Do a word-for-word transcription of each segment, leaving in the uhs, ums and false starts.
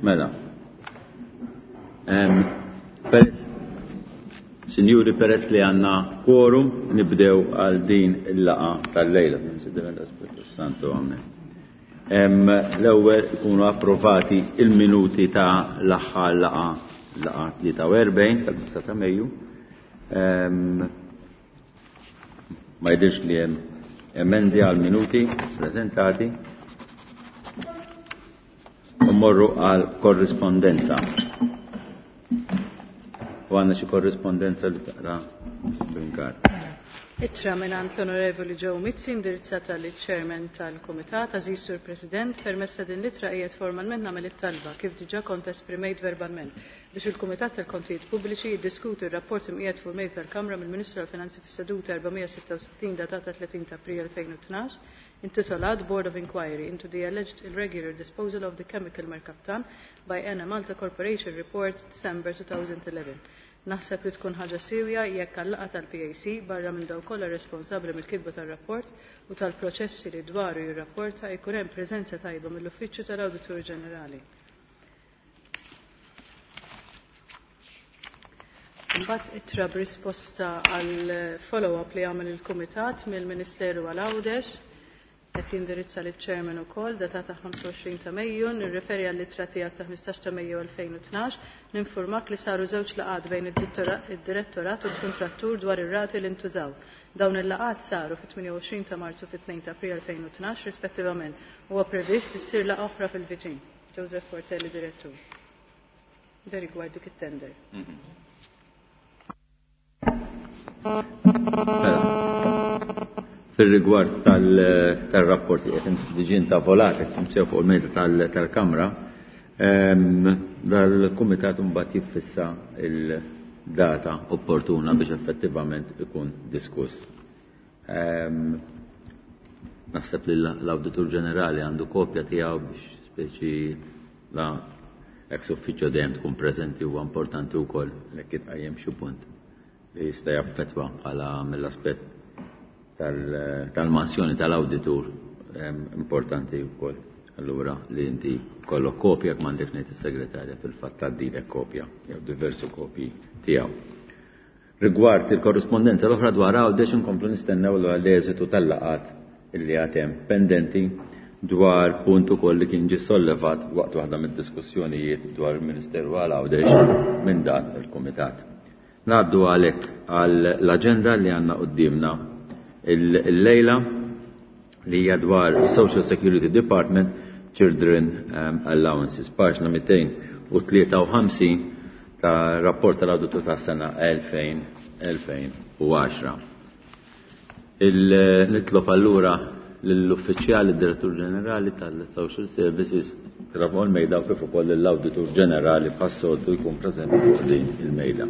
Mela. Peress, Sinjuri, peress li għandna quorum, nibdew għal din il-laqgħa tal-lejla. Santo, amen. L-ewwel ikunu approvati il-minuti ta' l-aħħar laqgħa, laqgħa tlieta u erbgħin tal-ħamsa ta' Mejju. Ma jidhirx li hemm emendi għal minuti prezentati. U morru għal korrispondenza. U għandna xi korrispondenza li taqra Brinkar. Ittra mingħand l-Onorevoli Joe Mizzi indirizzata liċ-Chairman tal-Kumitat. Aziz Sur President, permezz ta' din l-ittra qiegħed formalment nagħmel it-talba kif diġà kont esprimejt verbalment biex il-Kumitat tal-Kontijiet Pubbliċi jiddiskuti r-rapport imqiegħed fuq mejda tal-Kamra mill-Ministru tal-Finanzi fis-seduta erba' sitta u sittin datata tletin ta' April elfejn u tnax, intitolat Board of Inquiry into the Alleged Irregular Disposal of the Chemical Mercaptan by Enemalta Corporation Report December two thousand eleven. Naħseb li tkun ħaġa sewja jekk għal-laqgħa tal-P A C barra minn dawk kollha responsabbli mill-kitba tar-rapport u tal-proċessi li dwaru jirrapporta jkun hemm preżenza tajba mill-Uffiċċju tal-Awditur Ġenerali. Imbagħad ittra b'risposta għal follow-up li għamel il-Kumitat mill-Ministeru għal Għawdex qed jindirizza liċ-Chairman ukoll datata ħamsa u għoxrin ta' Mejju, nirreferi għall-ittra tiegħek ta' ħmistax ta' Mejju elfejn u tnax, ninformak li saru żewġ laqgħat bejn id-direttorat u l-kuntrattur dwar ir-rati li ntużaw. Dawn il-laqgħat saru fit-tmienja u għoxrin ta' Marzu fit-tnejn ta' April elfejn u tnax rispettivament. Huwa previst li ssir laqgħa oħra fil-viċin. Joseph Portelli, direttur. Da rigward dik it-tender. Fil-rigward tal-, tal-rapport li qed diġà intavolat, qed imsew fuq il-mejda tal-, tal-Kamra, ehm, dal-Kumitat mbagħad jiffissa il-data opportuna biex effettivament ikun diskuss. Ehm, naħseb li l-Awditur Ġenerali għandu kopja tiegħu biex speċi la ex uffiċċju dejjem tkun preżenti, huwa importanti wkoll li jitqajjem xi punt li jista' jaffettwa bħala mill-aspett tal-, tal-mansjoni tal-awditur, ehm, importanti wkoll. Allura li inti kollok kopja, jekk m'għandek ngħid is-segretarja fil-fatt tgħaddilek kopja jew diversi kopji tiegħu. Rigward il-korrispondenza l-oħra dwar Għawdex inkomplu nistennew l-eżitu tal-laqgħat illi għad hemm pendenti dwar punt ukoll li kien ġie sollevat waqt waħda mid-diskussjonijiet dwar il-Ministeru għal Għawdex minn dan il-Kumitat. Ngħaddu għalhekk għall-aġenda li għandna quddiemna il-lejla li hija dwar Social Security Department Children, um, Allowances, paġna mitejn u tlieta u ħamsin ta' rapport tal-awditu ta' sena elfejn, elfejn u għaxra. Il-nitlob allura lill-uffiċjali direttur ġenerali tal-Social Services fuq il-mejda u kif ukoll l-Awditur Ġenerali bħas-soltu jkun preżenti fuq din il-mejda.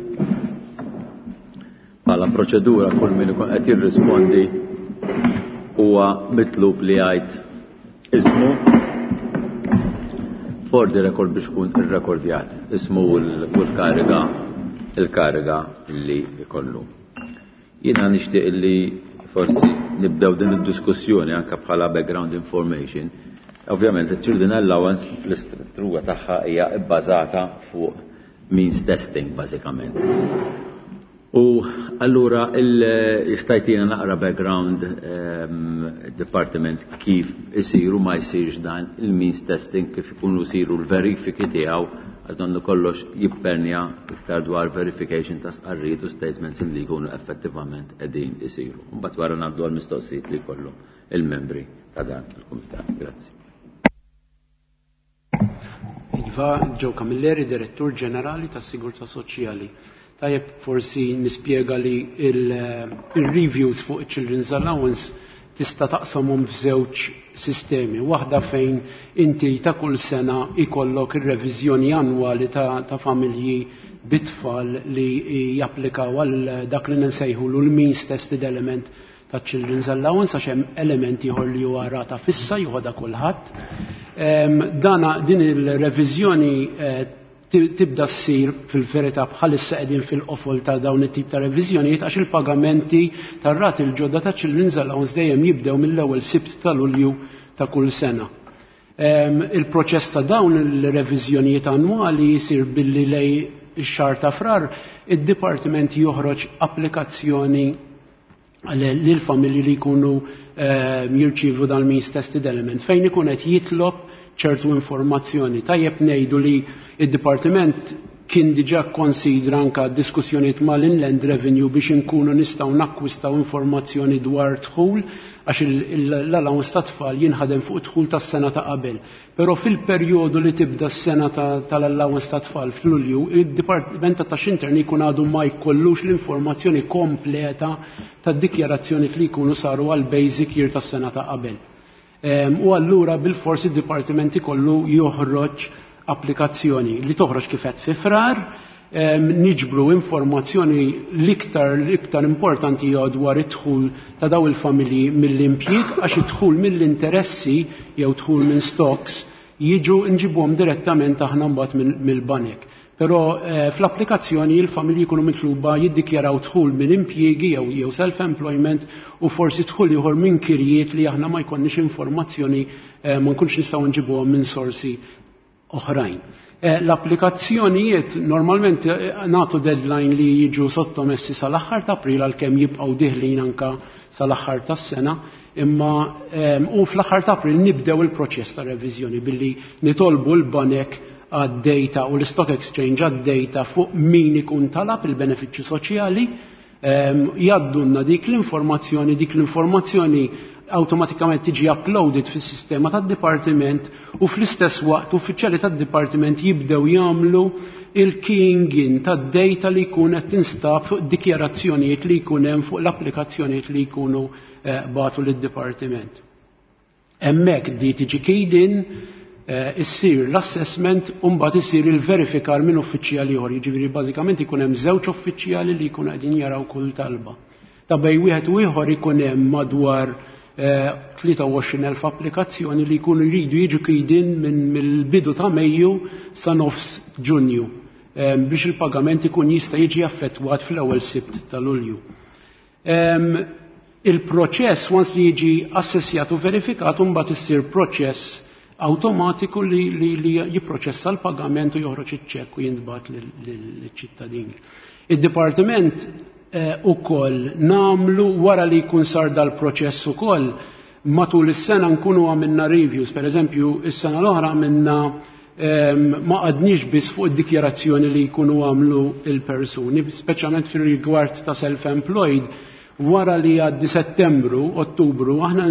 Bħala proċedura kull min ikun qed jirrispondi huwa mitlub li jgħid ismu for the record biex ikun irrekordjat ismu u l-kariga, il-kariga li jkollu. Jiena nixtieq li forsi nibdew din id-diskussjoni anke bħala background information. Ovvjament il-Children Allowance l-istruttura tagħha hija bbażata fuq means testing bażikament. U allura jistajtina naqra background, ehm, department kif isiru ma jsirx dan il-means testing, kif ikunu jsiru l-verifiki tiegħu, għal donnu kollox jippernja iktar dwar verification ta' stqarrijiet u statements li jkunu effettivament qegħdin isiru. Mbagħad wara ngħaddu għall-mistoqsijiet li jkollhom il-membri ta' dan il-kumitat. Grazzi. Iva, Joe Camilleri, Direttur Ġenerali tas-Sigurtà Soċjali. Tajjeb forsi nispjega li il-, il-reviews fuq il-Children's Allowance tista' taqsamhom f'żewġ sistemi. Waħda fejn inti ta' kull sena ikollok ir-reviżjoni annwali ta', ta' familji bit-tfal li japplikaw għal dak li nsejħulu l-means tested element ta' Children's Allowance, għax hemm element ieħor li huwa rata fissa joħodha kulħadd. Ehm, dana din il-reviżjoni, eh, tibda ssir fil-verità bħalissa qegħdin fil-qofol ta' dawn it-tip ta' reviżjonijiet għax il-pagamenti tar-rati l-ġodda ta' Children's Allowance dejjem jibdew mill-ewwel Sibt ta' Lulju ta' kull sena. Il-proċess ta' dawn il-reviżjonijiet annwali jisir billi lejn ix-xahar ta' Frar id-dipartiment joħroġ applikazzjoni lil familji li jkunu jirċievu dal-means tested element fejn ikun qed jitlob ċertu informazzjoni. Tajjeb ngħidu li id-dipartiment kien diġà konsidra anka diskussjonijiet mal-Inland Revenue biex inkunu nistgħu nakkwistaw informazzjoni dwar dħul, għax l-allowance ta' tfal jinħadem fuq dħul tas-sena ta' qabel. Però fil-perjodu li tibda s-sena tal-allowance ta' tfal f'Lulju, id-Dipartiment ta' Taxxi Interni jkun għadu ma jkollux l-informazzjoni kompleta tad-dikjarazzjoni li jkunu saru għal basic year tas-sena ta' qabel. U allura bil-forsi id-dipartiment ikollu joħroġ applikazzjoni li toħroġ kif qed fi Frar, niġbru informazzjoni l-iktar l-iktar importanti hija dwar id-dħul ta' daw il-familji mill-impjieg, għax id-dħul mill-interessi jew dħul minn stocks jiġu nġibuhom direttament aħna mbagħad mill-banek. Però fl-applikazzjoni il-familji jkunu mitluba jiddikjaraw dħul minn impjiegi jew jew self-employment u forsi dħul ieħor minn kirjiet li aħna ma jkollniex informazzjoni, ma nkunx nistgħu nġibuhom minn sorsi oħrajn. L-applikazzjonijiet normalment nagħtu deadline li jiġu sottomessi sal-aħħar ta' April, għalkemm jibqgħu diħlin anka sal-aħħar tas-sena, imma u fl-aħħar ta' April nibdew il-proċess ta' reviżjoni billi nitolbu l-banek għad-data u l-Stock Exchange għad-data fuq min ikun talab il-benefiċċju soċjali, jgħaddunna dik l-informazzjoni, dik l-informazzjoni awtomatikament tiġi uploaded fis-sistema tad-dipartiment u fl-istess waqt uffiċjali tad-dipartiment jibdew jagħmlu il-keying in tad-data li jkun qed tinstab fuq dikjarazzjonijiet li jkun hemm fuq l-applikazzjonijiet li jkunu bagħtu lid-dipartiment. Hemmhekk di tiġi keyed in, issir l-assessment u mbagħad isir il-verifikar minn uffiċjali ieħor. Jiġifieri bażikament ikun hemm żewġ uffiċjali li jkunu qegħdin jaraw kull talba. Ta' bejn wieħed u ieħor ikun hemm madwar tlieta u għoxrin elf applikazzjoni li jkunu jridu jiġu keyed in minn mill-bidu ta' Mejju sa nofs Ġunju biex il-pagament ikun jista' jiġi affettwat fl-ewwel Sibt ta' Lulju. Il-proċess once li jiġi assessjat u verifikat mbagħad issir proċess awtomatiku li, li, li jipproċessa l-pagament u joħroġ iċ-ċekk u jintbagħat lill-ċittadini. Id-dipartiment ukoll namlu wara li jkun sar dal-proċess ukoll matul is-sena nkunu għamilna reviews, per eżempju, is-sena l-oħra għamilna ma qgħadniex biss fuq id-dikjarazzjoni li jkunu għamlu il-persuni, speċjalment fir-rigward ta' self-employed, wara li għaddi Settembru, Ottubru, aħna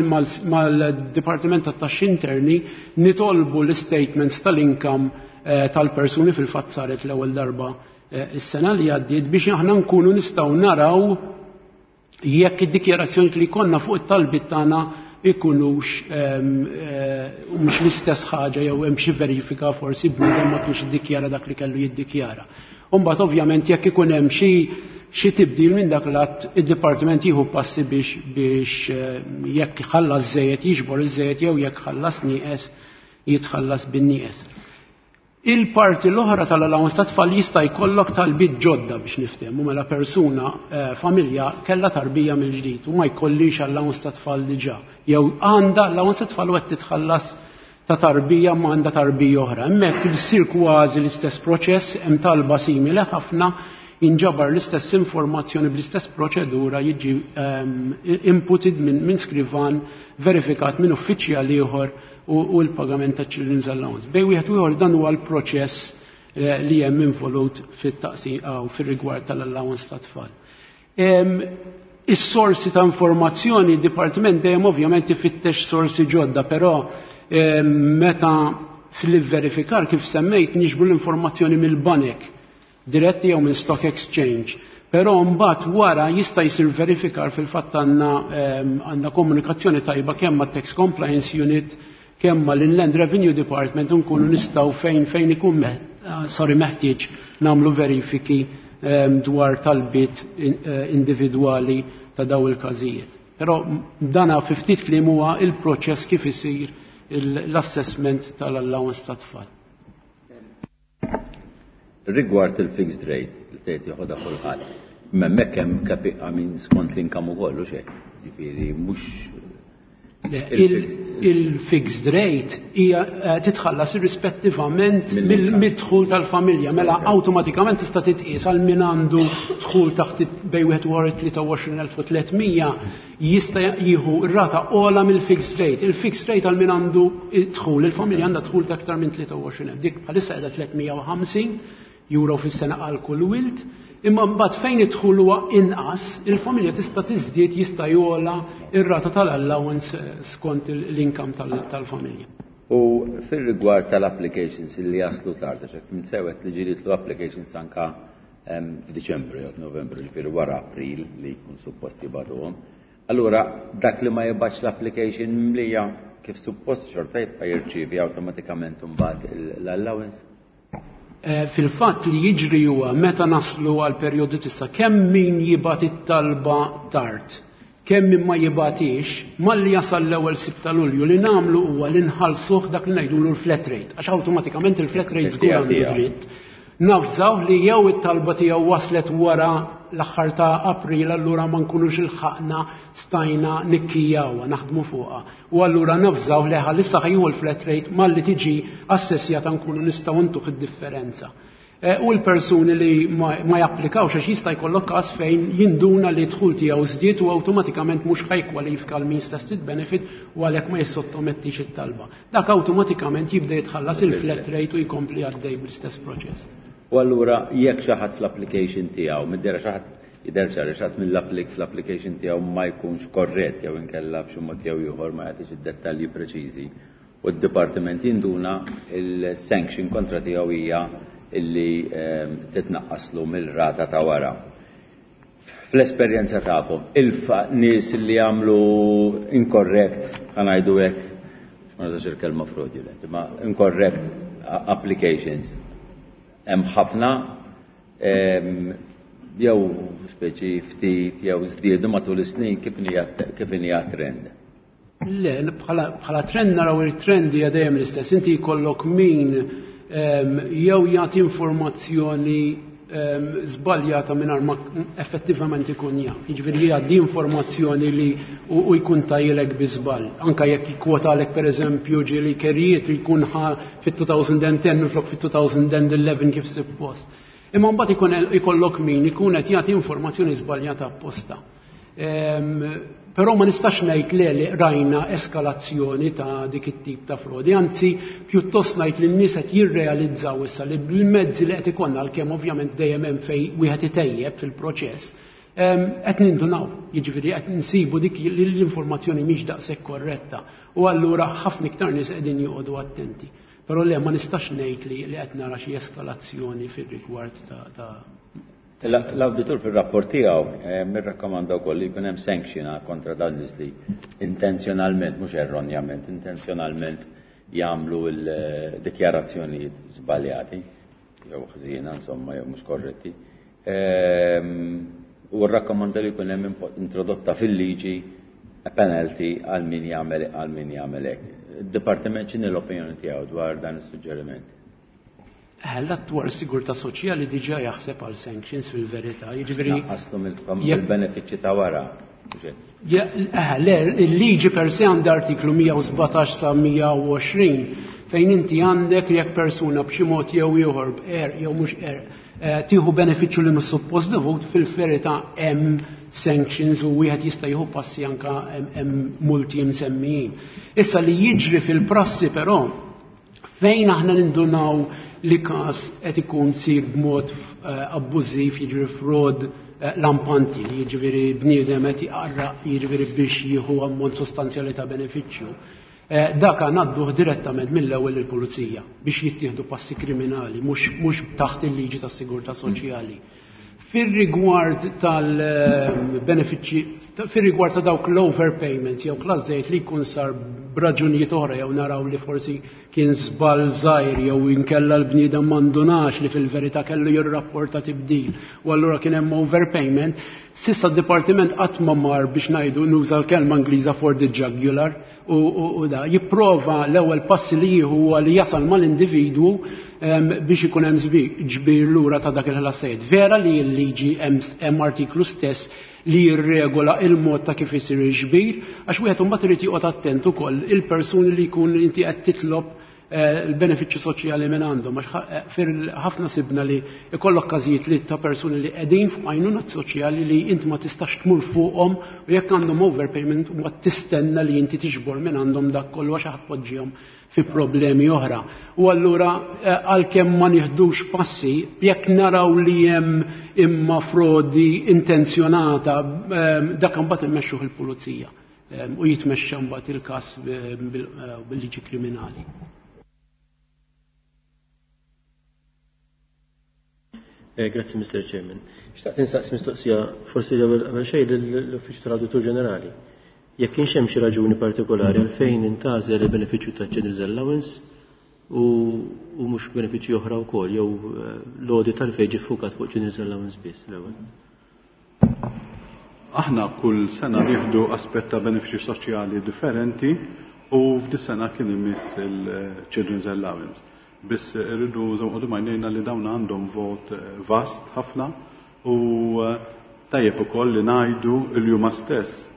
mal-Dipartiment tat-Taxxi Interni nitolbu l-statements tal-income tal-persuni, fil-fatt saret l-ewwel darba is-sena li għaddiet, biex aħna nkunu nistgħu naraw jekk id-dikjarazzjoni li konna fuq it-talbiet tagħna ikunux mhux l-istess ħaġa jew hemm xi verifika forsi bniedem ma kienx iddikjara dak li kellu jiddikjara. U mbagħad ovvjament jekk ikun hemm xi xi tibdil minn dak l-att, id-dipartiment jieħu passi biex biex jekk ħallas żejjed jiġbor iż-żejjed jew jekk ħallas nieqes jitħallas bin-nieqes. Il-parti l-oħra tal-allowance ta' tfal jista' jkollok talbiet ġodda biex niftehmu, mela persuna, familja kellha tarbija mill-ġdid u ma jkollix allowance ta' tfal diġà, jew għandha allowance ta' tfal u qed titħallas ta' tarbija ma għandha tarbija oħra. Hemmhekk issir kważi l-istess proċess, hemm talba simili ħafna, jinġabar l-istess informazzjoni bl-istess proċedura, jiġi inputted minn skrivan, verifikat minn uffiċjal ieħor u l-pagament ta' Children's Allowance. Bejn wieħed u ieħor dan huwa l-proċess li hemm involut fit-taqsim u fir-rigward tal-allowance ta' tfal. Is-sorsi ta' informazzjoni, id-dipartiment dejjem ovvjament ifittex sorsi ġodda, però meta fil-verifikar kif semmejt niġbru l-informazzjoni mill-banek diretti jew minn stock exchange. Però mbagħad wara jista' jsir verifikar, fil-fatt għandna għandna komunikazzjoni tajba kemm mat-Tax Compliance Unit kemm mal-Inland Revenue Department, nkunu nistgħu fejn fejn ikun sorry meħtieġ nagħmlu verifiki dwar talbiet individwali ta' daw il-każijiet. Però dana fi ftit kliem huwa il-proċess kif isir l-assessment tal-allowance ta' tfal. Rigward il-fixed rate, li tgħid joħodha kulħadd. Imma hemmhekk hemm kapi minn skont l-income ukoll u xejn. Ġifieri mhux Il-fixed rate hija eh, titħallas irrispettivament mid-dħul tal-familja, mela awtomatikament tista' titqies għal min għandu dħul taħt bejn wieħed u tlieta u għoxrin elf u tliet mija jista' jieħu r-rata ogħla mill-fixed rate. Il-fixed rate għal min għandu dħul, il-familja għandha dħul ta' aktar minn tlieta u għoxrin elf. Dik bħalissa qiegħda tliet mija u ħamsin euro fis-sena għal kull wild. Imma mbagħad fejn id-dħul huwa inqas, il-familja tista' tiżdied, jista' jogħla ir-rata tal-allowance eh, skont l-income tal-familja. U fil-rigward tal-applications li jaslu tard, għax fhimt sew li ġieli jitilgħu applications anka f'Diċembru jew f'Novembru, ġifieri wara April li jkun suppost jibagħtuhom. Allura dak li ma jibgħatx l-application mimlija kif suppost xorta jibqa' jirċievi awtomatikament imbagħad l-allowance? Eh, fil-fatt li jiġri huwa meta naslu għal perjodu tista' kemm min jibgħat it-talba tard, kemm min ma jibgħatix, malli jasal l-ewwel Sibt ta' Lulju li nagħmlu huwa li nħallsuh dak li ngħidulu l-flat rate, għax awtomatikament il-flat rate żgur għandu dritt. Navżaw li jew it-talba tiegħu waslet wara l-aħħar ta' April, allura ma nkunux ilħaqna stajna nikkijawha, naħdmu fuqha. U allura navżaw li issa ħa jieħu l-flat rate, malli tiġi assessjata nkunu nistgħu ntuh id-differenza. Eh, u l-persuni li ma japplikawx, għax jista' jkollok każ fejn jinduna li dħul tiegħu żdied u awtomatikament mhux ħa jikkwalifika l means tested benefit u għalhekk ma jissottomettix it-talba. Dak awtomatikament jibda jitħallas il-flat rate u jkompli għaddej bl-istess proċess. U allura jekk xi ħadd fl-application tiegħu, mid-dehra xi ħadd jidher ċar xi ħadd mill-applik fl-application tiegħu ma jkunx korrett jew inkella b'xi mod jew ieħor ma jagħtix id-dettalji preċiżi u d-dipartiment jinduna, il-sanction kontra tiegħu hija illi ehm, titnaqqaslu mill-rata ta' wara. Fl-esperjenza tagħkom, il-nies li jagħmlu incorrect, ħa ngħidu hekk, ma nużax il-kelma fraudulent, ma incorrect applications, hemm ħafna ehm, jew speċi ftit jew żdiedu matul is-snin, kif hija trend? Le, bħala trend naraw il-trend hija dejjem l-istess. Inti jkollok min jew jagħti informazzjoni żbaljata mingħajr ma effettivament ikun jaf. Jiġifieri jgħaddi informazzjoni li u jkun tajlek bi żball. Anka jekk jikkwotalek, pereżempju, ġieli kerijiet li jkun ħa fit-elfejn u għaxra minflok fit-elfejn u ħdax kif suppost. Imma mbagħad ikun ikollok min ikun qed jagħti informazzjoni żbaljata apposta. Però ma nistax ngħid le li rajna eskalazzjoni ta' dik it-tip ta' frodi, anzi pjuttost ngħid li n-nies qed jirrealizzaw issa li bil-mezzi li qed ikollna, għalkemm ovvjament dejjem hemm fejn wieħed itejjeb fil-proċess, qed nindunaw, jiġifieri qed nsibu dik li l-informazzjoni mhix daqshekk korretta u allura ħafna iktar nies qegħdin joqogħdu attenti. Però le, ma nistax ngħid li li qed nara xi eskalazzjoni fir-rigward ta' L-auditur fil-rapport tiegħu eh, mirrakkomanda wkoll li jkun hemm sanction kontra dawn nies li intenzjonalment, mhux erronjament, intenzjonalment jagħmlu l-dikjarazzjonijiet żbaljati jew ħżiena insomma jew mhux korretti. Ehm, u rrakkomanda li jkun hemm introdotta fil-liġi penalty għal min jagħmel għal min jagħmel hekk. Id-dipartiment x'inhi l-opinjoni tiegħu dwar dan is-suġġeriment? L-Att dwar sigurtà soċjali diġà jaħseb għal sanctions fil-verità. Jiġifieri Naqqaslu mill-benefiċċji ta' wara. Le, il-liġi per se għandha artiklu mija u sbatax sa mija u għoxrin fejn inti għandek jekk persuna b'xi mod jew ieħor, b'qerq jew mhux qerq, eh, tieħu benefiċċju li mhux suppost dovut, fil-verità hemm sanctions u wieħed jista' jieħu passi, anka hemm multi msemmijin. Issa li jiġri fil-prassi però, fejn aħna nindunaw li każ qed ikun sir b'mod eh, abbużiv, jiġri fraud eh, lampanti, jiġifieri bniedem qed jqarraq, jiġifieri biex jieħu ammont sostanzjali ta' benefiċċju. Eh, dak ngħadduh direttament mill-ewwel il-pulizija biex jittieħdu passi kriminali, mhux taħt il-liġi tas-sigurtà soċjali. Fir-rigward tal-benefiċċji, fir-rigward ta' dawk l-overpayments jew klażejt li jkun sar b'raġunijiet oħra jew naraw li forsi kien żball żgħir jew inkella l-bniedem m'indunax li fil-verità kellu jirrapporta tibdil u allura kien hemm overpayment, s'issa d-dipartiment qatt ma mar biex ngħidu, nuża l-kelma Ingliża, for the jugular u, u, u da jipprova l-ewwel passi li jieħu huwa li jasal mal-individwu biex ikun hemm ġbir lura ta' dak il-ħlasijiet. Vera li l-liġi hemm artiklu stess. li jirregola il-mod ta' kif isir il-ġbir, għax wieħed imbagħad irid joqgħod attent ukoll il-persuni li jkun inti qed titlob l-benefiċċju soċjali minn għandhom, għax ħafna sibna li ikollok każijiet li ta' persuni li qegħdin fuq għajnuna soċjali li inti ma tistax tmur fuqhom u jekk għandhom overpayment u tistenna li inti tiġbor minn għandhom dak kollu għax ħadpoġġihom fi problemi oħra. U allura għalkemm ma nieħdux passi, jekk naraw li hemm imma frodi intenzjonata, dak imbagħad immexxuh il-pulizija u jitmexxa mbagħad il-każ bil-liġi kriminali. Grazzi, Mister Chairman. Xtaqt insaqsi mistoqsija forsi l-ewwel qabel xejn lill-Uffiċċju tal-Awditur Ġenerali. Jekk kienx hemm xi raġuni partikolari għalfejn intgħażel il-benefiċċju ta' Children's Allowance u mhux benefiċċji oħra wkoll, jew l-audit għalfejn ġie ffukat fuq Children's Allowance biss l-ewwel. Aħna kull sena nieħdu aspett ta' benefiċċji soċjali differenti u f'dis-sena kien imiss il-Children's Allowance. Biss irridu nżommu għajnejna li dawn għandhom vot vast ħafna u tajjeb ukoll li ngħidu li huma stess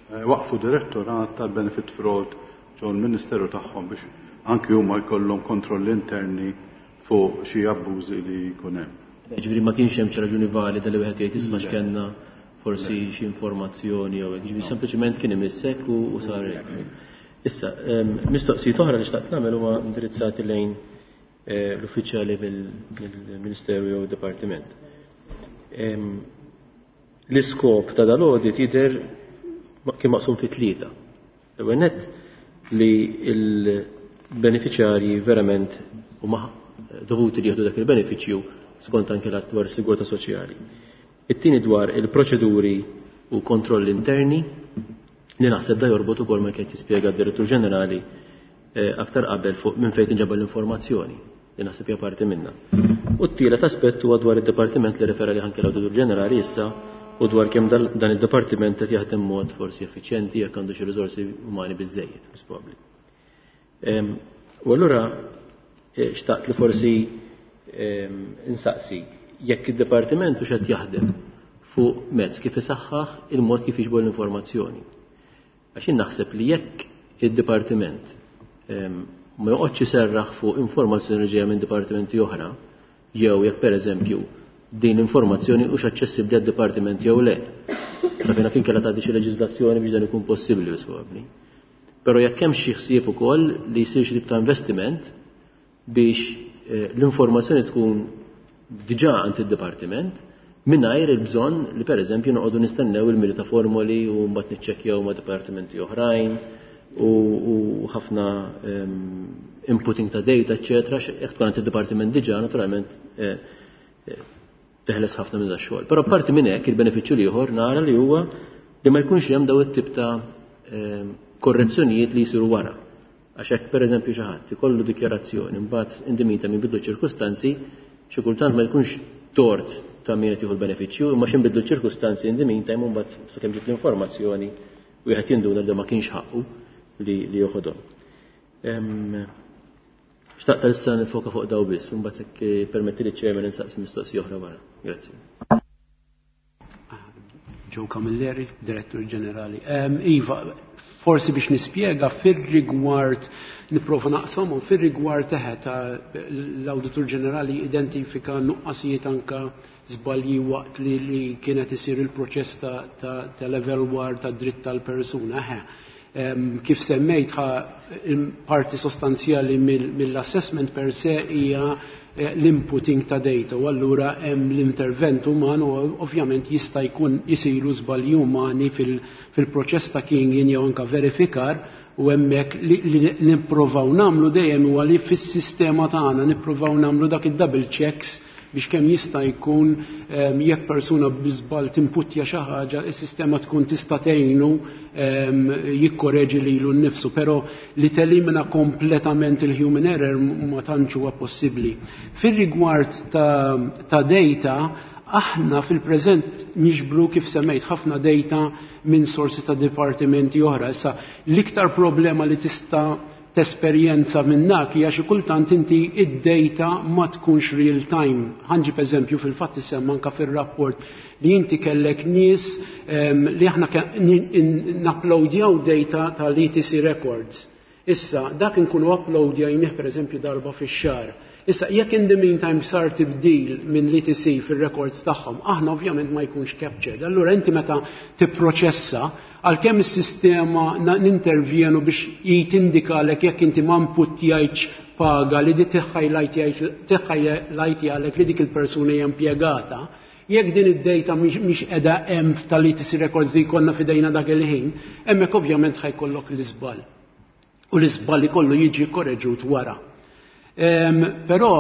waqfu direttorat tal-benefit fraud ġol ministeru tagħhom biex anki huma jkollhom kontrolli interni fuq xi abbużi li jkun hemm. Ġifieri ma kienx hemm xi raġuni valida li wieħed jgħid isma' x'kellna forsi xi informazzjoni jew hekk, ġifieri sempliċement kien imissek u sar hekk. Issa, mistoqsijiet oħra li xtaqt nagħmel huma indirizzati lejn l-uffiċjali mill-Ministeru jew Dipartiment. L-iskop ta' dal-audit jidher kien maqsum fi tlieta. L-ewwel nett li l-beneficjarji verament huma dovuti li jieħdu dak il-benefiċċju skont anke l-att dwar is-sigurtà soċjali. It-tieni dwar il-proċeduri u kontrolli interni li naħseb da jorbot ukoll ma kien jispjega d-Direttur Ġenerali aktar qabel fuq minn fejn tinġabel l-informazzjoni li naħseb hija parti minnha. U t-tielet aspett huwa dwar id-dipartiment li refera li anke l-Awditur Ġenerali issa u dwar kemm dan id-dipartiment qed jaħdem mod forsi effiċjenti jekk għandu xi riżorsi umani biżżejjed, mhux probabbli. U allura xtaqt li forsi insaqsi jekk id-dipartiment hux qed jaħdem fuq mezz kif isaħħaħ il-mod kif jiġbor l-informazzjoni. Għax jien naħseb li jekk id-dipartiment ma joqgħodx iserraħ fuq informazzjoni li ġejja minn dipartimenti oħra, jew jekk pereżempju din l-informazzjoni hux aċċessibbli għad-dipartiment jew le. Sa fejn fin kellha tgħaddi xi leġiżlazzjoni biex dan ikun possibbli probabbli. Però jekk hemm xi ħsieb ukoll li jsir xi tip ta' investiment biex l-informazzjoni tkun diġà għand id-dipartiment mingħajr il-bżonn li pereżempju noqogħdu nistennew il-mili ta' formoli u mbagħad niċċekkjaw ma' dipartimenti oħrajn u ħafna inputting ta' data, eċċetera. Jekk tkun għand id-dipartiment diġà naturalment teħles ħafna minn dax-xogħol. Però apparti minn hekk il-benefiċċju l-ieħor nara li huwa li ma jkunx hemm daw it-tip ta' korrezzjonijiet li jsiru wara. Għax hekk pereżempju xi ħadd ikollu dikjarazzjoni mbagħad indimita minn bidlu ċirkustanzi, xi kultant ma jkunx tort ta' min qed jieħu l-benefiċċju, imma xi nbidlu ċirkustanzi indimita hemm mbagħad sakemm ġiet l-informazzjoni wieħed jinduna li ma kienx ħaqqu li joħodhom. Xtaqt issa nifoka fuq daw biss, mbagħad hekk permetti li ċ-chairman insaqsi mistoqsija oħra wara. Grazzi. Joe Camilleri, Direttur Ġenerali. Iva, forsi biex nispjega fir-rigward nipprova naqsamhom fir-rigward teħe ta' l-Awditur Ġenerali identifika nuqqasijiet anka żbalji waqt li, li kienet isir il-proċess ta', ta, ta level war ta' dritt tal-persuna. Eħe. Kif semmejt parti sostanzjali mill-assessment per se hija l-inputting ta' data u allura hemm l-intervent uman u ovvjament jista' jkun isiru żbalji umani fil-proċess ta' keying jew anka verifikar u hemmhekk li nippruvaw nagħmlu dejjem huwa li fis-sistema tagħna nippruvaw nagħmlu dak id-double checks biex kemm jista' jkun jekk persuna biżball timputja xi ħaġa, is-sistema tkun tista' tgħinu jikkoreġi lilu nnifsu, però li telimina kompletament il-human error ma tantx huwa possibbli. Fir-rigward ta', ta data, aħna fil-preżent niġbru kif semmejt ħafna data minn sorsi ta' dipartimenti oħra. Issa l-iktar problema li tista' tesperjenza minnak hija xi kultant inti id-data ma tkunx real time. Ħa nġib eżempju, fil-fatt issemma anka fir-rapport li inti kellek nies um, li aħna napplowdjaw data tal-E T C records. Issa, dak nkunu uploadjajnih per eżempju darba fix-xahar. Issa, jekk in the meantime sar tibdil minn l-E T C fil-records tagħhom, aħna ovvjament ma jkunx captured. Allura inti meta tipproċessa, għalkemm is-sistema nintervjenu biex jitindikalek jekk inti ma inputjajtx paga li di tiħħajlajt li dik il-persuna hija impjegata, jekk din id-data mhix qiegħda hemm tal-E T C records li jkollna f'idejna dak il-ħin, hemmhekk ovvjament ħa jkollok l-iżball. U l-iżball ikollu jiġi korreġut wara. Però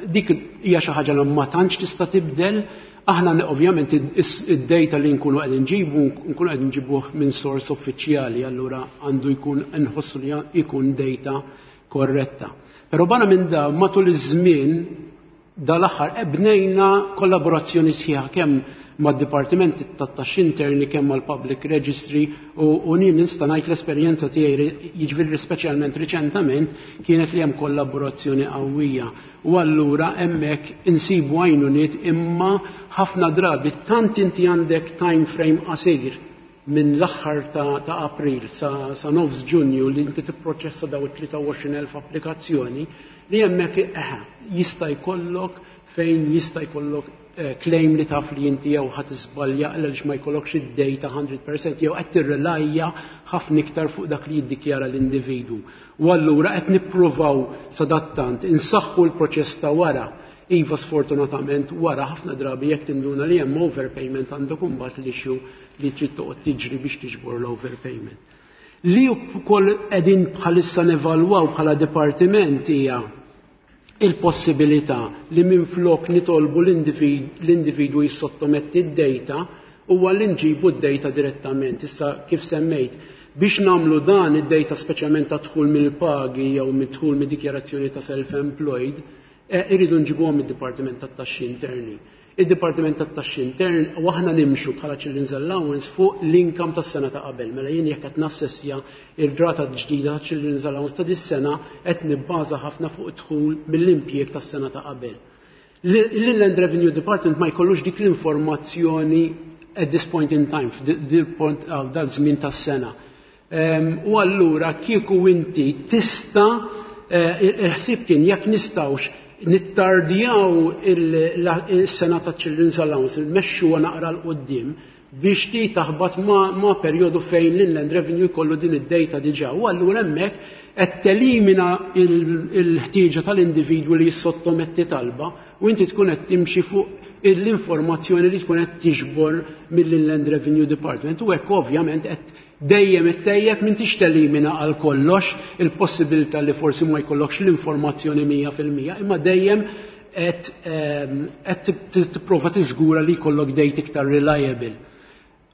dik hija xi ħaġa li ma tantx tista' tibdel. Aħna ovvjament id-data li nkunu qegħdin nġibu nkunu qegħdin nġibuh minn source uffiċjali, allura għandu jkun nħossu li jkun data korretta. Però barra minn da, matul iż-żmien dal-aħħar bnejna kollaborazzjoni sħiħa kemm mad-Dipartiment tat-Taxxi Interni, kemm mal-Public Registry, u, u jien nista' ngħid l-esperjenza tiegħi, jiġifieri speċjalment riċentament, kienet li hemm kollaborazzjoni qawwija. U allura hemmhekk insibu għajnuniet, imma ħafna drabi tant inti għandek time frame qasir minn l-aħħar ta', ta April sa, sa nofs Ġunju li inti tipproċessa daw it-tlieta u għoxrin elf applikazzjoni li hemmhekk eh, jista' jkollok fejn jista' jkollok eh, claim li taf li inti jew ħadd iżbalja għaliex ma jkollokx id-data mija fil-mija jew qed tirrelajja ħafna iktar fuq dak li jiddikjara l-individwu. U allura qed nippruvaw sadattant insaħħu l-proċess ta' wara. Iva, sfortunatament wara ħafna drabi jekk tinduna li hemm overpayment, għandek imbagħad l-issue li trid toqgħod tiġri biex tiġbor l-overpayment. Li wkoll qegħdin bħalissa nevalwaw bħala dipartiment hija il-possibilità li minflok nitolbu l-individwu jissottometti d-data huwa li nġibu d-data direttament. Issa, kif semmejt, biex nagħmlu dan, id-data speċjalment ta' dħul mill-pagi jew mid-dħul mid-dikjarazzjoni ta' self-employed, eh, irridu nġibuhom id-Dipartiment tat-Taxxi Interni. Id-Dipartiment tat-Taxxi Intern u aħna nimxu bħala Children's Allowance fuq l-income tas-sena ta' qabel. Mela jien jekk qed nassessja ir-rata ġdida ta' Children's Allowance ta' dis-sena, qed nibbaża ħafna fuq dħul mill-impjieg tas-sena ta' qabel. L-Inland Revenue Department ma jkollux dik l-informazzjoni at this point in time, f'dil point dal-żmien tas-sena. U allura kieku inti tista', eh, il-ħsieb kien jekk nistgħux nittardjaw il-sena ta' Children's Allowance, il-mexxu naqra 'l quddiem biex ti taħbat ma, ma periodu fejn l-Inland Revenue jkollu din id-data diġà. U allura hemmhekk qed telimina il-ħtieġa tal-individwu li jissottometti talba u inti tkun qed timxi fuq l-informazzjoni li tkun qed tiġbor mill-Inland Revenue Department, u hekk ovvjament qed dejjem ittejjeb. M'intix telimina għal kollox il-possibilità li forsi ma jkollokx l-informazzjoni mija fil-mija, imma dejjem qed qed tipprova tiżgura li jkollok data iktar reliable.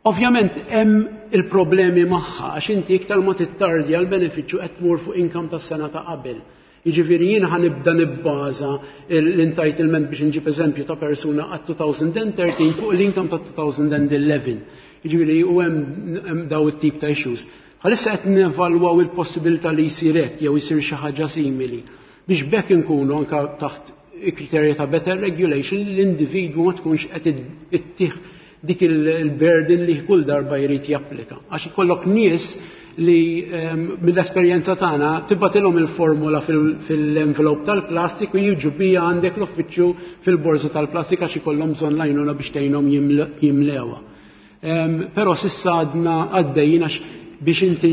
Ovvjament hemm il-problemi magħha għax inti iktar ma tittardja l-benefiċċju qed tmur fuq income tas-sena ta' qabel. Jiġifieri jien ħa nibda nibbaża l-entitlement, biex nġib eżempju ta' persuna għat elfejn u tlettax, fuq l-income ta' elfejn u ħdax. Jiġifieri u hemm daw it-tip ta' issues. Bħalissa qed nevalwaw il-possibilità li jsir hekk jew jsir xi ħaġa simili biex bekk inkunu anka taħt kriterji ta' better regulation, l-individwu ma tkunx qed ittih dik il-burden li kull darba jrid japplika. Għax ikollok nies li mill-esperjenza tagħna tibgħatilhom il-formula fil-envelope tal-plastik u jiġu bija għandek l-uffiċċju fil-borża tal-plastik għax ikollhom bżonn l-għajnuna biex tgħinhom jimlewha. Però s'issa għadna għaddejjin għax biex inti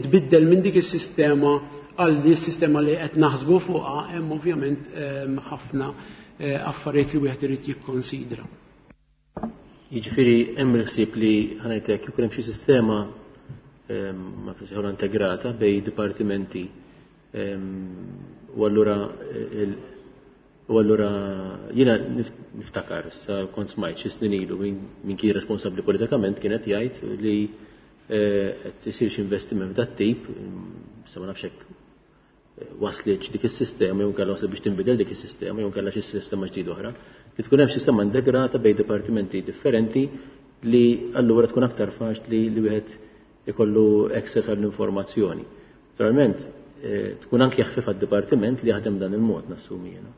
tbiddel minn dik is-sistema għal di sistema li qed naħsbu fuqha, hemm ovvjament ħafna eh, affarijiet li wieħed irid jikkonsidra. Jiġifieri hemm il-ħsieb li, ħa ngħidlek, jkun hemm xi sistema ma nsejħulha integrata bejn dipartimenti u allura u allura jiena niftakar sa kont smajt xi snin ilu min kien responsabbli politikament kienet jgħid li eh, qed isir xi investiment f'dat tip, sa ma nafx hekk waslitx dik is-sistema jew kellha waslet biex tinbidel dik is-sistema jew kellha xi sistema ġdida oħra, li tkun hemm sistema integrata bejn dipartimenti differenti li allura tkun aktar faċli li wieħed ikollu access għall-informazzjoni. Naturalment, tkun anki jaħfif għad-dipartiment li jaħdem dan il-mod, nassumi jiena.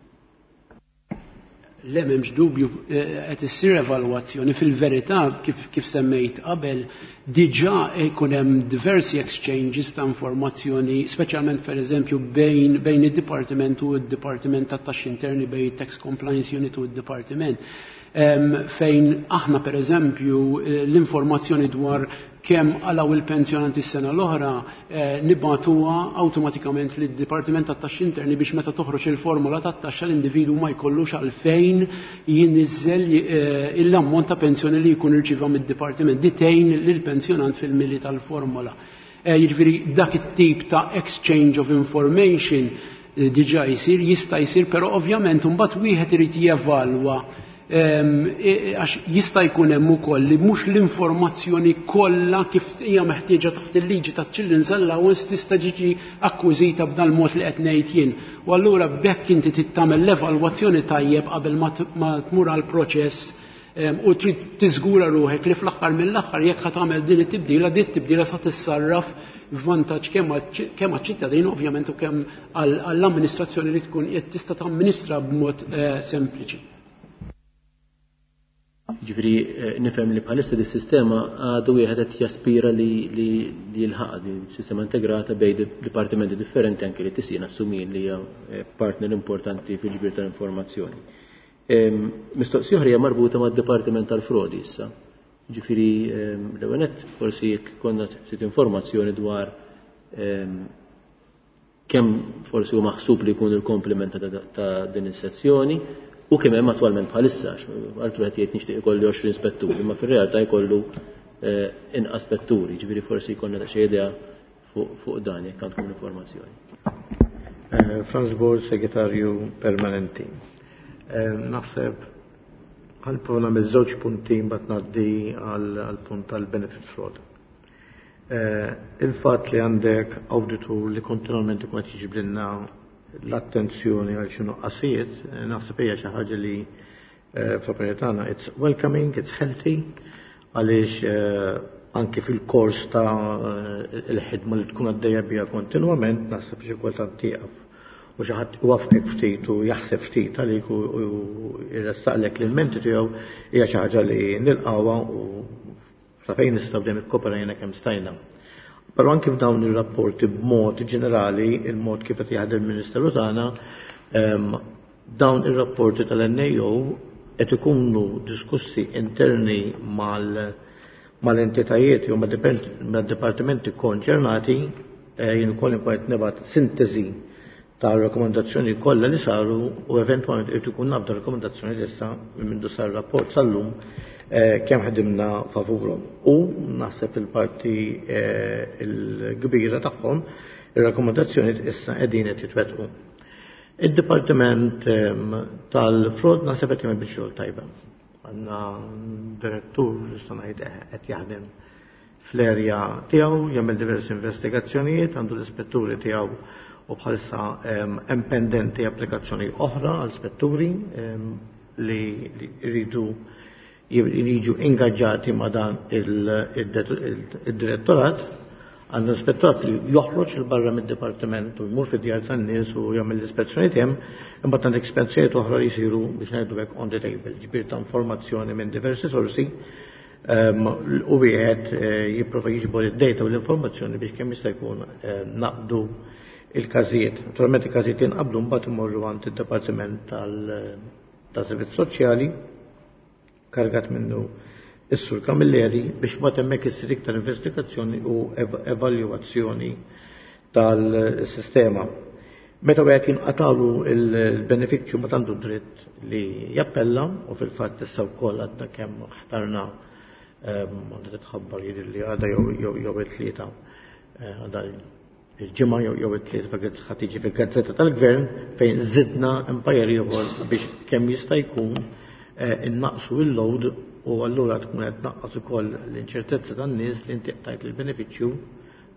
Le, m'hemmx dubju, qed issir evalwazzjoni. Fil-verità, kif, kif semmejt qabel, diġà jkun hemm diversi exchanges ta' informazzjoni, speċjalment pereżempju bejn bejn id-dipartiment u d-dipartiment tat-taxxi interni, bejn it-Tax Compliance Unit u d-dipartiment. Fejn aħna pereżempju l-informazzjoni dwar kemm għalaw il-pensjonanti s-sena l-oħra nibatuha awtomatikament lid-Dipartiment tat-Taxxi Interni biex meta toħroġ il-formola tat-taxxa l-individwu ma jkollux għalfejn jinniżel l-ammont ta' pensjoni li jkun irċieva mid-dipartiment. Ditejn lill-pensjonant fil-mili tal-formola. Jiġifieri dak it-tip ta' exchange of information diġà jsir, jista' jsir, però ovvjament imbagħad wieħed irid jevalwa, għax jista' jkun hemm ukoll li mhux l-informazzjoni kollha kif hija meħtieġa taħt il-liġi taċ-Children's Allowance tista' tiġi akkwiżita b'dan mod li qed ngħid jien. U allura b'hekk inti trid tagħmel l-evalwazzjoni tajjeb qabel ma tmur għall-proċess u trid tiżgura ruħek li fl-aħħar mill-aħħar jekk ħa tagħmel din it-tibdila, din it-tibdila sa tissarraf f'vantaġġ kemm għaċ-ċittadin ovvjament u kemm għall-amministrazzjoni li tkun qed tista' tamministra b'mod sempliċi. Ġifieri nifhem li bħalissa di sistema għadu wieħed qed jaspira li li jilħaq di sistema integrata bejn dipartimenti differenti, anke li tisir nassumi li hija partner importanti fil-ġbir tal-informazzjoni. Mistoqsija oħra hija marbuta mad-Dipartiment tal-Frodi issa. Ġifieri l-ewwel nett forsi jekk konna ftit informazzjoni dwar kemm forsi hu maħsub li jkun il-komplement ta' din is-sezzjoni u kemm hemm attwalment bħalissa, għaltu qed jgħid nixtieq ikolli għoxrin spetturi, imma fir-realtà jkollu inqas spetturi, ġifieri forsi jkollna daqsxejn idea fuq dan jekk għandkom l-informazzjoni. Franz Borg, segretarju permanenti. Naħseb ħalpuna miż-żewġ punti mbagħad ngħaddi għall-punt tal-benefit fraud. Il-fatt li għandek auditur li kontinwament ikun qed jiġbrilna l-attenzjoni għal xi nuqqasijiet, naħseb hija xi ħaġa li fl-opinjoni tagħna it's welcoming, it's healthy, għaliex anke fil-kors ta' il-ħidma li tkun għaddejja biha kontinwament, naħseb xi kultant tieqaf u xi ħadd iwaffqek ftit u jaħseb ftit għalik u jressaqlek l-menti tiegħu hija xi ħaġa li nilqawha u sa fejn nistgħu dejjem ikkoperajna kemm stajna. Però anke f'dawn ir-rapporti b'mod ġenerali, il-mod kif qed jaħdem il-Ministeru tagħna, dawn ir-rapporti tal-N A O qed ikunu diskussi interni mal-entitajiet jew mad-dipartimenti konċernati, jien ukoll inkun qed nibgħat sintesi ta' rakkomandazzjoni kollha li saru u eventwalment irid ikun nabda rakkomandazzjoni li issa minn mindu sar rapport sal-lum kemm ħdimna favurhom. U naħseb fil-parti l-kbira tagħhom ir-rakkomandazzjoni issa qegħdin qed jitwettqu. Id-Dipartiment tal-Frod naħseb qed jagħmel biċċa xogħol tajba. Għandna direttur li nista' ngħid qed jaħdem fl-erja tiegħu, jagħmel diversi investigazzjonijiet, għandu l-ispetturi tiegħu u bħalissa hemm pendenti applikazzjoni oħra għal spetturi li jridu jiġu ingaġġati ma' dan il-direttorat. Għandna ispettorat li joħroġ il barra mid-dipartiment u jmur fid-djar tan-nies u jagħmel l-ispezzjonijiet hemm, imbagħad għandek ispezzjonijiet oħra li jsiru biex ngħidu hekk on the table, ġbir ta' informazzjoni minn diversi sorsi, u wieħed jipprova jiġbor id-data u l-informazzjoni biex kemm jista' jkun naqdu il-każijiet. Naturalment il-każijiet jinqabdu mbagħad imorru għand id-Dipartiment tal-Servizz Soċjali kargat minnu is-Sur Camilleri biex mbagħad hemmhekk issir iktar investigazzjoni u evalwazzjoni tal-sistema. Meta wieħed jinqatalu il-benefiċċju ma għandu dritt li jappella u fil-fatt issa wkoll għadna kemm ħtarna għandha titħabbar jidher li għadha jew jew it-tlieta għadha il-ġimgħa jew it-tlieta ħadd tiġi fil-gazzetta tal-Gvern fejn żidna empire ieħor biex kemm jista' jkun innaqsu il-load u allura tkun qed tnaqqas ukoll l-inċertezza tan-nies li inti qtajt il-benefiċċju,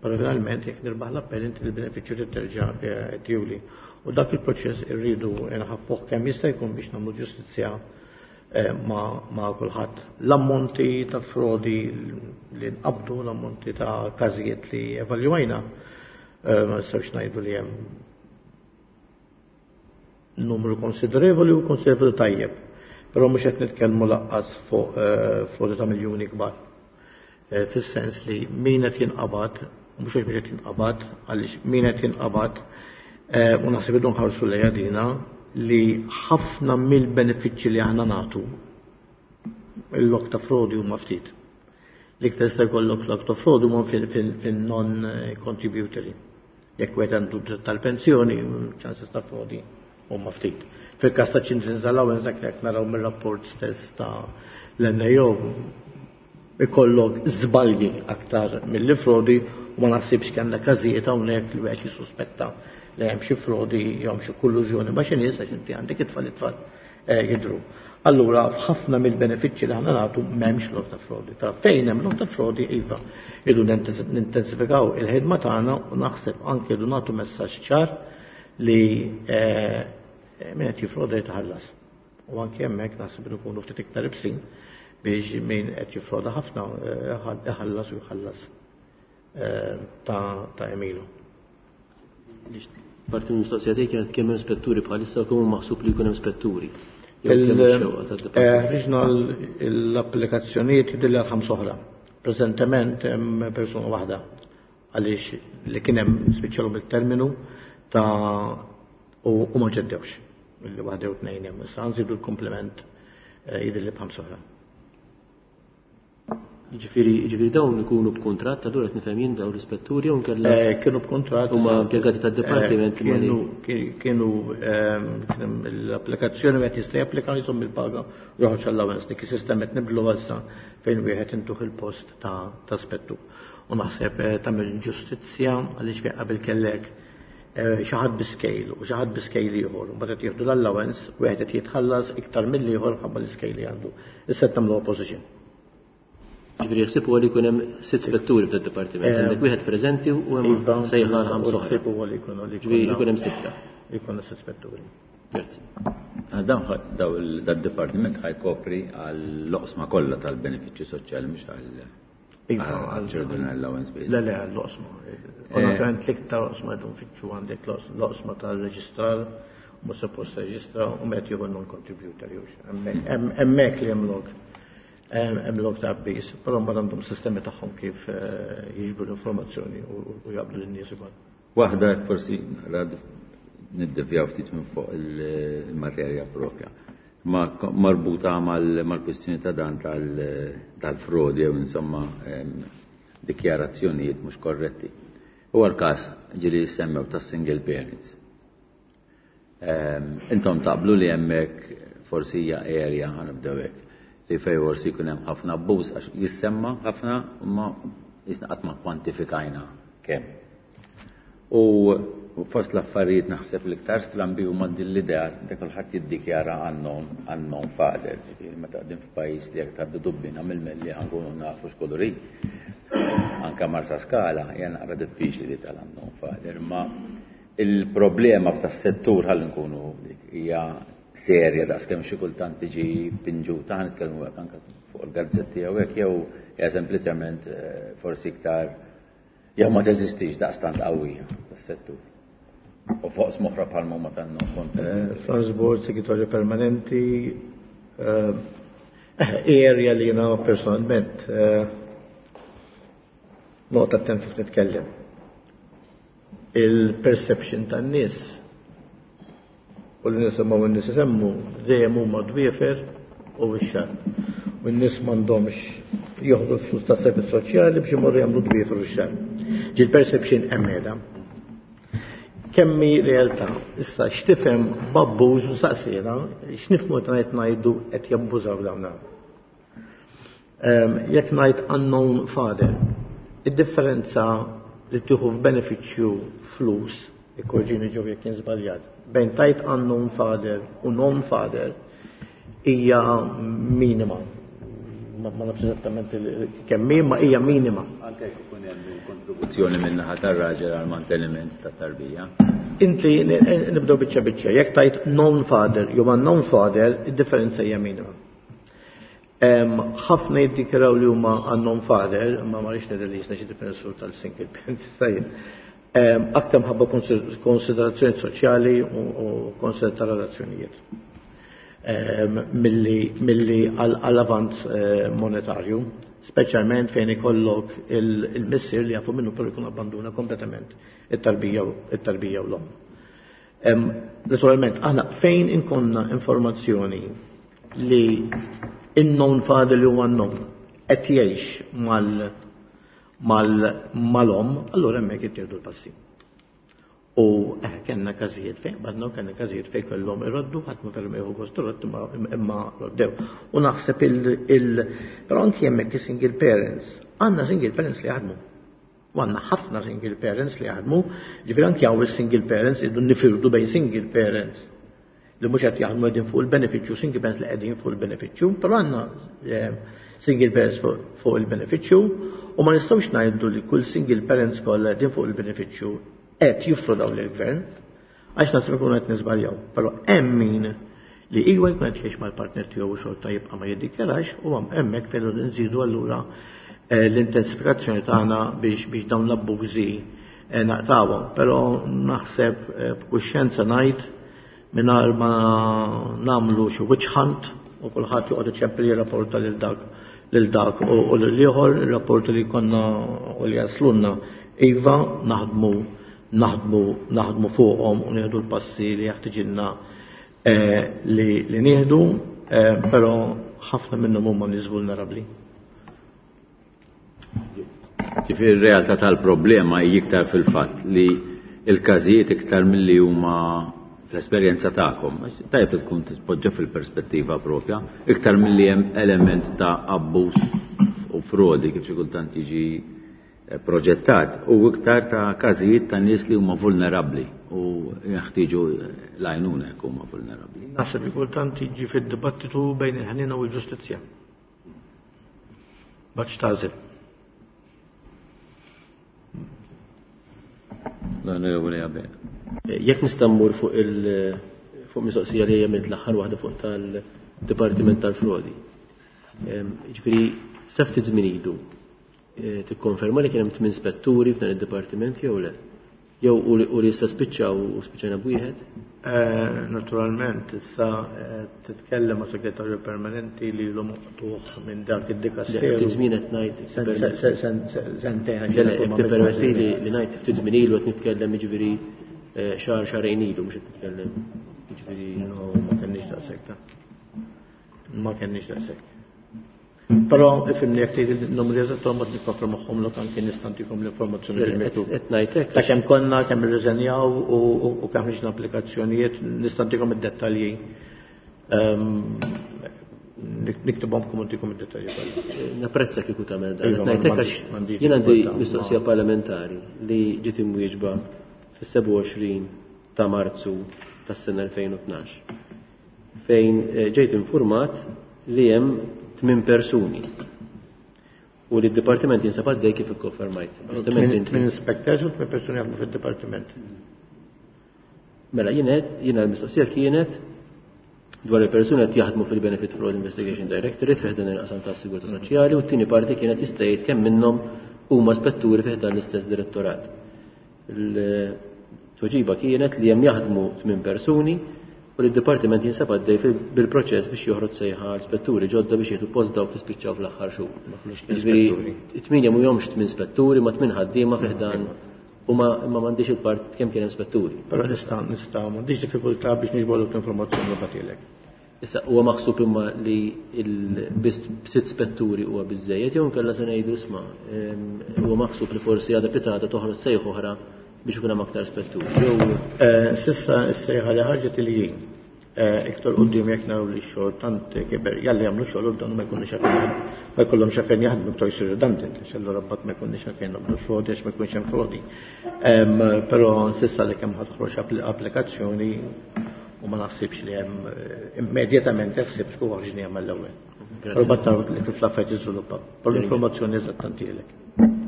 però finalment jekk nirbaħ l-appell inti l-benefiċċju trid terġa' tjuli. U dak il-proċess irridu nħaffuh kemm jista' jkun biex nagħmlu ġustizzja ma' kulħadd. L-ammonti ta' frodi li nqabdu, l-ammonti ta' każijiet li evalwajna, Ma nistgħux ngħidu li hemm numru konsiderevoli u konsiderevoli tajjeb. Però mhux qed nitkellmu lanqas fuq frodi ta' miljuni kbar. Fis-sens li min qed jinqabad, mhux għax mhux qed jinqabad, għaliex min qed jinqabad u naħseb irridu nħarsu lejha dina li ħafna mill-benefiċċji li aħna nagħtu il-lok ta' frodi huma ftit. L-iktar jista' jkollok lok ta' frodi huma fin-non contributory. Jekk wieħed għandu dritt tal-pensjoni, chances ta' frodi huma ftit. Fil-każ ta' Children's Allowance, jekk naraw mir-rapport stess ta' l-N A O, ikollok żbalji aktar mill-li frodi u ma naħsibx kellna każijiet hawnhekk li wieħed jissuspetta li hemm xi frodi jew xi kollużjoni ma' xi nies, għax inti għandek it-tfal, it-tfal jidhru. Allura f'ħafna mill-benefiċċji li aħna nagħtu m'hemmx lok ta' frodi. Però fejn hemm lok ta' frodi, iva, irridu nintensifikaw il-ħidma tagħna u naħseb anke irridu nagħtu messaġġ ċar li min qed jifroda jitħallas. U anke hemmhekk naħseb li nkunu ftit iktar ibsin biex min qed jifroda ħafna iħallas u jħallas ta' emilu. Parti mill-mistoqsija tiegħi kienet kemm hemm spetturi bħalissa u kemm hu maħsub li jkun hemm spetturi. Ħriġna l-applikazzjonijiet jidhirli għal ħamsa oħra. Preżentement hemm persuna waħda għaliex li kien hemm spiċċalu bil-terminu ta' u ma ġeddewx. Illi waħda jew tnejn hemm. Issa nżidu l-komplement jidhirli b'ħamsa oħra. Ġifieri, ġifieri dawn ikunu b'kuntratt, allura qed nifhem jien, dawn l-ispetturi, jew nkella Kienu b'kuntratt. Huma impjegati tad-dipartiment? Kienu kienu kien l-applikazzjoni, wieħed jista' japplika, jżomm il-paga u joħroġ allowance. Dik is-sistema qed nibdlu issa fejn wieħed intuh il-post ta' ta' spettur. U naħseb tagħmel ġustizzja għaliex fejn qabel kellek xi ħadd bi scale u xi ħadd bi scale ieħor, u mbagħad qed jieħdu l-allowance, wieħed qed jitħallas iktar mill-ieħor ħabba l-scale li għandu. Issa qed nagħmlu opposition. Ġifieri ħsieb huwa li jkun hemm sitt spetturi fid-dipartiment. Għandek wieħed preżenti u hemm sejħa ħamsa oħra. Ħsieb huwa li jkunu li Ġifieri jkun hemm sitta. Jkunu sitt spetturi. Grazzi. Dan dad-dipartiment ħa jkopri għall-oqsma kollha tal-benefiċċju soċjali, mhux għal Children Allowance biss? Le, le, għall-oqsma. U naturalment l-iktar oqsma qed nfittxu għandek l-oqsma tal-reġistrar, mhux suppost reġistra u meta jieħu non-contributor jux. Hemmhekk li hemm lok. Hemm lok ta' abbiż, però mbagħad għandhom sistemi tagħhom kif jiġbru l-informazzjoni u jaqblu lin-nies ukoll. Waħda forsi rad niddevjaw ftit minn fuq il-materja propja. Ma marbuta mal-kwistjoni ta' dan tal-frodi jew insomma dikjarazzjonijiet mhux korretti. Huwa l-każ ġieli semmew tas single parents. Intom taqblu li hemmhekk forsi hija area, ħa nibdew hekk, li fej forsi jkun hemm ħafna abbuż, għax jissemma ħafna imma jisna qatt ma kwantifikajna kemm. U fost l-affarijiet naħseb l-iktar strambi huma din l-idea li kulħadd jiddikjara unknown unknown father, ġifieri meta qegħdin f'pajjiż li jekk tgħaddi dubbina mill-melli ħa nkunu nafu x'kulur hi. Anka Marsa Skala hija naqra diffiċli li tal-unknown father, ma il-problema f'tas-settur, ħalli nkunu dik, hija serja daqs kemm xi kultant tiġi pinġuta, ħa nitkellmu hekk, anke fuq il-gazzetti jew hekk, jew hija sempliċement forsi iktar jew ma teżistix daqstant qawwija tas-settur? U fuq smoħra bħal ma tannu kont. Frans Borg, segretarju permanenti, area li jiena personalment noqgħod attent kif nitkellem. Il-perception tan-nies u li nisimgħu n-nies isemmu dejjem huma dwiefer u x-xagħar. U n-nies m'għandhomx jieħdu l-flus tas servizz soċjali biex imorru jagħmlu dwiefer u x-xagħar. Ġi l-perception hemm qiegħda. Kemm hi realtà, issa x'tifhem b'abbuż u saqsina, x'nifhmu meta ngħid ngħidu qed jabbużaw dawn. Jekk ngħid unknown father, id-differenza li tieħu f'benefiċċju flus, ikkorreġini Joe jekk jien żbaljat, bejn tajt unknown father u known father hija minima. Ma nafx eżattament kemm hi, ma hija minima. Anke jekk ikun hemm il-kontribuzzjoni minn naħa tar-raġel għal manteniment tat-tarbija. Inti nibdew biċċa biċċa, jekk tajt known father jew unknown father, id-differenza hija minima. Ħafna jiddikjaraw li huma unknown father, ma ma rridx ngħid li jisna xi difensur tal-single parents, sajjed. Aktar mħabba konsiderazzjoni soċjali u konsiderazzjoni ta' relazzjonijiet milli għall-avanz monetarju, speċjalment fejn ikollok il-missier li jafu minnu però jkun abbanduna kompletament it-tarbija it-tarbija u l-omm. Naturalment, aħna fejn inkonna informazzjoni li in-known father li huwa known qed jgħix mal mal-omm, allura hemmhekk jittieħdu l-passi. U eh, kellna każijiet fejn badna u kellna każijiet fejn kellhom iroddu, ħadd ma kellhom jieħu gost iroddu imma roddew. U naħseb il però anki hemmhekk single parents, għandna single parents li jaħdmu. U għandna ħafna single parents li jaħdmu, ġifieri anki hawn is-single parents irridu nifirdu bejn single parents li mhux qed jaħdmu qegħdin fuq il-benefiċċju, single parents li qegħdin fuq il-benefiċċju, però għandna single parents fuq il-benefiċċju u ma nistgħux ngħidu li kull single parents kollha qegħdin fuq il-benefiċċju qed jiffrodaw lill-gvern, għax naħseb ikunu qed niżbaljaw. Però hemm min li iwa jkun qed jgħix mal-partner tiegħu u xorta jibqa' ma jiddikjarax u hemmhekk fejn nżidu allura l-intensifikazzjoni tagħna biex biex dawn l-abbużi naqtawhom. Però naħseb b'kuxjenza ngħid mingħajr ma nagħmlu xi witch hunt u kulħadd joqgħod iċempel jirrapporta lil dak lil dak u lil ieħor, ir-rapporti li konna u li jaslunna iva naħdmu naħdmu naħdmu fuqhom u nieħdu l-passi li jaħtiġilna li li nieħdu, però ħafna minnhom huma nies vulnerabbli. Ġifieri r-realtà tal-problema hi iktar fil-fatt li l-każijiet iktar milli huma fl-esperjenza tagħkom, tajjeb li tkun tispoġġa fil-perspettiva propja, iktar milli hemm element ta' abbuż u frodi kif xi kultant jiġi proġettat, u iktar ta' każijiet ta' nies li huma vulnerabbli u jeħtieġu l-għajnuna jekk huma vulnerabbli. Naħseb li kultant jiġi fid-dibattitu bejn il-ħniena u l-ġustizzja. Baċ tażel. L-Onorevoli Abela. Jekk nista' mmur fuq il fuq mistoqsija li għamilt l-aħħar waħda fuq tal-Dipartiment tal-Frodi. Ġifieri sa ftit żmien ilu tikkonferma li kien hemm tmien spetturi f'dan id-dipartiment jew le? Jew u li issa spiċċaw u spiċċajna b'wieħed? Naturalment, issa titkellem ma' segretarju permanenti li l maqtuħ minn dak id-dikasteru. Ftit żmien qed ngħid. Sentejn. Jekk tippermetti li ngħid ftit żmien ilu qed nitkellem jiġifieri xahar xahrejn ilu mhux qed nitkellem. Jiġifieri no, ma kenniex daqshekk. Ma kenniex daqshekk. Però ifhimni jekk tgħid il-numri eżatt ma nikkonfermahom lok anke nista' ntikom l-informazzjoni bil-miktub. Qed ngħid hekk. Ta' kemm konna, kemm irriżenjaw u kemm ħriġna applikazzjonijiet, nista' ntikom id-dettalji. Niktibhomkom u ntikom id-dettalji kollha. Napprezza kieku tagħmel dan. Qed ngħid hekk għax jien għandi mistoqsija parlamentari li ġiet imwieġba fis-sebgħa u għoxrin ta' Marzu tas-sena elfejn u tnax fejn ġejt infurmat li hemm tmien persuni u li d-dipartiment jinsab għaddej kif ikkonfermajt. Tmien inspectors u tmien persuni jaħdmu fid-dipartiment. Mela jiena jiena l-mistoqsija kienet dwar il-persuni qed jaħdmu fil-Benefit Fraud Investigation Directorate fih dan il-qasam tas-Sigurtà Soċjali u t-tieni parti kienet jista' jgħid kemm minnhom huma spetturi fih dan l-istess direttorat. Il-tweġiba kienet li hemm jaħdmu tmien persuni u li d-dipartiment jinsab għaddej bil-proċess biex joħroġ sejħa għal spetturi ġodda biex jieħdu post dawk li spiċċaw fl-aħħar xhur. Ġifieri tminja mhumiex tmien spetturi ma tmien ħaddiema fih dan u ma m'għandix il-part kemm kien hemm spetturi. Però nista' nista' m'għandix diffikultà biex niġborlok l-informazzjoni li bagħtilek. Issa huwa maħsub imma li biss sitt spetturi huwa biżżejjed jew inkella se ngħidu isma' huwa maħsub li forsi għadha pitata toħroġ sejħ oħra biex ikun hemm aktar spetturi. Jew sissa s-sejħa li ħarġet il jien iktar quddiem jekk naraw li x-xogħol tant kiber jalli jagħmlu xogħol u dan ma jkunux għalfejn ma jkollhomx għalfejn jaħdmu iktar jsir redundant, għax allura mbagħad ma jkunniex għalfejn nagħmlu frodi għax ma jkunx hemm frodi. Però sissa li kemm ħadħroġ applikazzjoni u ma naħsibx li hemm immedjatament ħsibx u ħarġni hemm l-ewwel. Però mbagħad naraw li kif l-affarijiet jiżviluppaw. Però l-informazzjoni eżatt ntielek.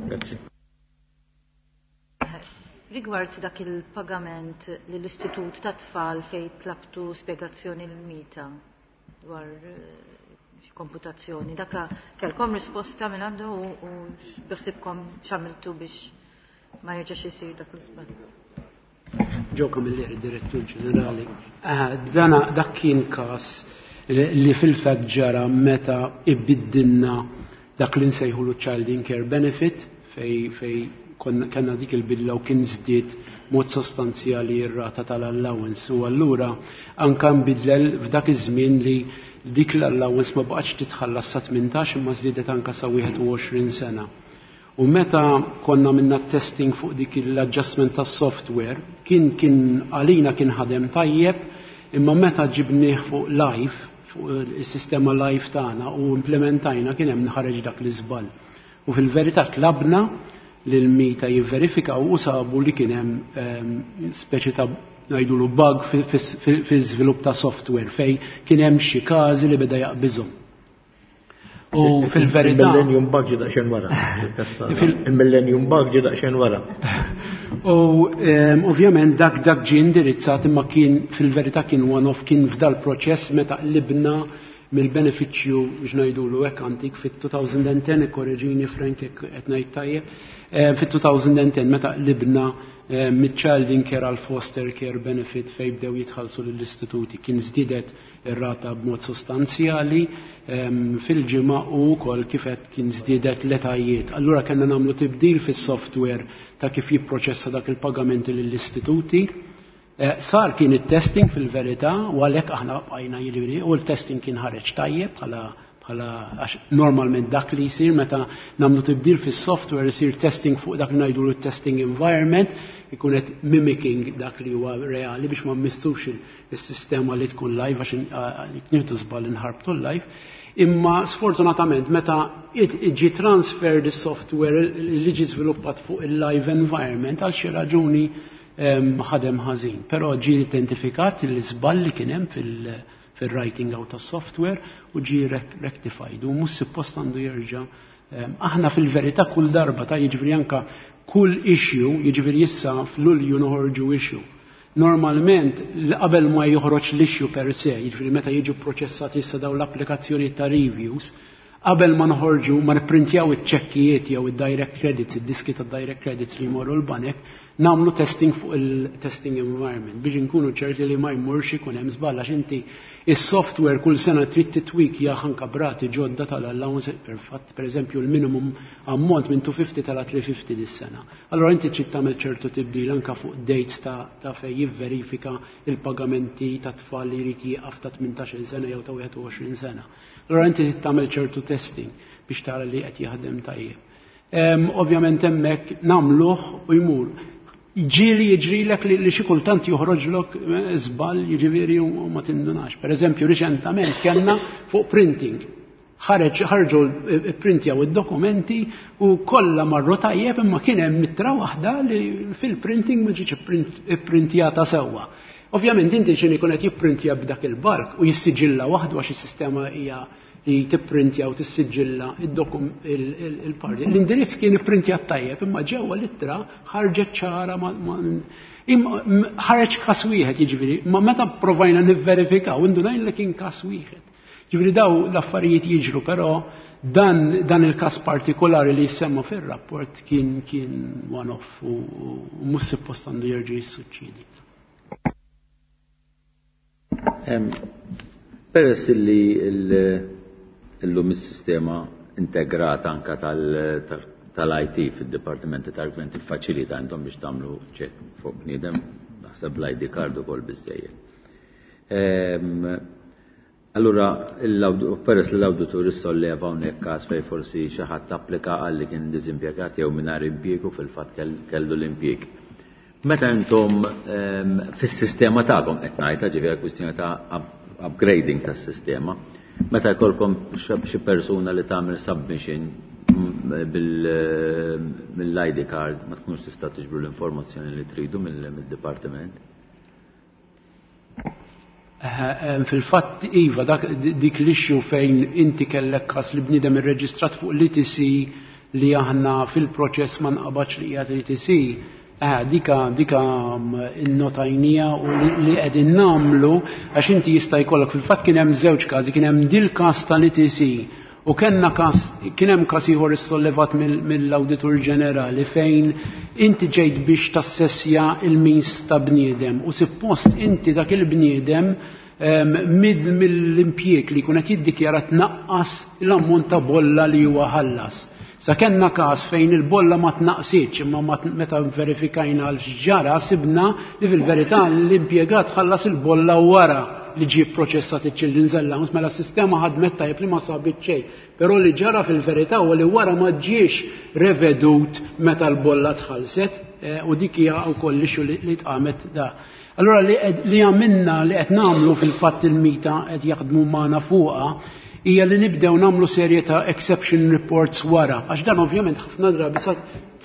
Grazzi. Rigward dak il-pagament lill-Istitut ta' Tfal fejn tlabtu spjegazzjoni l-mita dwar xi komputazzjoni, dak kellkom risposta minn għandu u biħsibkom x'għamiltu biex ma jerġax isir dak l-iżball. Joe Camilleri, Direttur Ġenerali. Dana dak kien każ li fil-fatt ġara meta ibiddilna dak li nsejħulu Child in Care Benefit, fej fej kellna dik il-bidla u kien żdied mod sostanzjali r-rata tal-allowance, u allura anka nbidlel f'dak iż-żmien li dik l-allowance ma baqgħetx titħallas sa tmintax imma żdiedet anka sa wieħed u għoxrin sena. U meta konna minna testing fuq dik l-adjustment tas software, kien kien għalina kien ħadem tajjeb, imma meta ġibnieh fuq live, fuq il-sistema live tagħna u implementajna, kien hemm ħareġ dak l-iżball. U fil-verità tlabna lil MITA jivverifika u sabu li kien hemm ehm, speċi ta' ngħidulu bug fil-żvilupp ta' software fej kien hemm xi każi li beda jaqbiżhom. U fil-verità. Il-Millennium Bug ġi daqsxejn wara. Il-Millennium Bug ġi daqsxejn wara. U ehm, ovvjament dak dak ġi indirizzat, imma kien fil-verità kien one-off, kien f'dal proċess meta qlibna mill-benefiċċju biex ngħidulu hekk antik fit-elfejn u għaxra, korreġini Frank qed ngħid tajjeb, eh, fit-elfejn u għaxra meta qlibna eh, mid-child in care għal foster care benefit fej bdew jitħallsu lill-istituti, kien żdiedet ir-rata b'mod sostanzjali ehm, fil-ġimgħa u wkoll kif qed kien żdiedet l-etajiet. Allura kellna nagħmlu tibdil fis-software ta' kif jipproċessa dak il-pagamenti lill-istituti. Eh, sar kien it-testing fil-verità u għalhekk aħna bqajna, jiġifieri, u l-testing kien ħareġ tajjeb bħala bħala għax normalment dak li jsir meta nagħmlu tibdil fis-software, isir testing fuq dak li ngħidu testing environment, ikun qed mimicking dak li huwa reali biex ma mmissux il-sistema li tkun live, għax nieħdu żball inħarbtu live. Imma sfortunatament meta ġi transfer the software li ġi żviluppat fuq il-live environment, għal xi raġuni ħadem ħażin. Però ġi identifikat l-iżball li kien hemm fil- fil-writing out tas software u ġi rectified u mhux suppost għandu jerġa'. Aħna fil-verità kull darba ta' jiġifieri anka kull issue, jiġifieri issa f'Lulju noħorġu issue. Normalment qabel ma joħroġ l-issue per se, jiġifieri meta jiġu proċessati issa daw l-applikazzjoni ta' reviews, qabel ma noħorġu, ma nipprintjaw iċ-ċekkijiet jew id-direct credits, id-diski ta' direct credits li jmorru l-banek, nagħmlu testing fuq il-testing environment biex nkunu ċerti li ma jmurx ikun hemm żball, għax inti is-software kull sena trid titwik anka b'rati ġodda tal-allowance, per fatt, per eżempju, l-minimum ammont minn mitejn u ħamsin tela' tliet mija u ħamsin dis-sena. Allora inti trid tagħmel ċertu tibdil anka fuq dates ta', ta fej jivverifika il-pagamenti ta' tfal li jrid jieqaf ta' tmintax-il sena jew ta' wieħed u għoxrin sena. Allora inti trid tagħmel ċertu testing biex tara li qed jaħdem tajjeb. Um, ovvjament hemmhekk nagħmluh u jmur. Ġieli jiġrilek li, li xi kultant joħroġlok eh, żball, jiġifieri, u ma tindunax. Per eżempju, riċentament kellna fuq printing. Ħareġ ħarġu printjaw id-dokumenti u kollha marru tajjeb, imma kien hemm ittra waħda li fil-printing ma ġietx ipprintjata sewwa. Ovvjament inti x'inhi jkun qed jipprintja b'dak il-bulk u jissiġilla waħdu, għax is-sistema hija li tipprintja u tissiġilla il-parti. L-indirizz kien ipprintjat tajjeb, imma ġewwa l-ittra ħarġet ċara, ħareġ kas wieħed, jiġifieri, ma meta provajna nivverifikaw indunajna li kien kas wieħed. Jiġifieri daw l-affarijiet jiġru, però dan, dan il-kas partikolari li jissemma fir-rapport kien kien one-off u mhux suppost għandu jerġa' jissuċċedi. Peress li illum is-sistema integrata anka tal-I T fid-dipartimenti tal-gvern tiffaċilita intom biex tagħmlu check fuq bniedem, naħseb l-I D card ukoll biżejjed. Allura, peress li l-awditur issolleva hawnhekk każ fejn forsi xi ħadd applika għal li kien diżimpjegat jew mingħajr impjieg u fil-fatt kellu l-impjieg. Meta intom fis-sistema tagħkom qed ngħidha, ġifieri kwistjoni ta' upgrading tas-sistema, meta jkollkom xi persuna li tagħmel submission mill-I D card, ma tkunx tista' tiġbru l-informazzjoni li tridu mill-dipartiment? Fil-fatt iva, dik l-issue fejn inti kellek kas li bniedem irreġistrat fuq l-E T C li aħna fil-proċess ma nqabadx li qiegħed l-E T C, eh, dika dika innotajnija u li qegħdin nagħmlu, għax inti jista' jkollok, fil-fatt kien hemm żewġ każi, kien hemm dil każ tal-E T C U kellna każ, kien hemm każ ieħor issollevat mill-Awditur Ġenerali fejn inti ġejt biex tassessja il-means ta' bniedem u suppost inti dak il-bniedem mill-impjieg li jkun qed jiddikjara tnaqqas l-ammont ta' bolla li huwa ħallas. Sa kellna każ fejn il-bolla ma tnaqsitx, imma meta verifikajna l-ġara sibna li fil-verità l-impjegat ħallas il-bolla wara li ġie proċessat iċ-Children's Allowance, mela s-sistema ħadmet tajjeb li ma sabit xejn. Però li ġara fil-verità huwa li wara ma ġiex revedut meta l-bolla tħallset, u dik hija wkoll l-issue li tqamet da. Allora li għamilna, li qed nagħmlu fil-fatt il-MITA qed jaħdmu magħna fuqha, hija li nibdew nagħmlu serje ta' exception reports wara, għax dan ovvjament ħafna drabi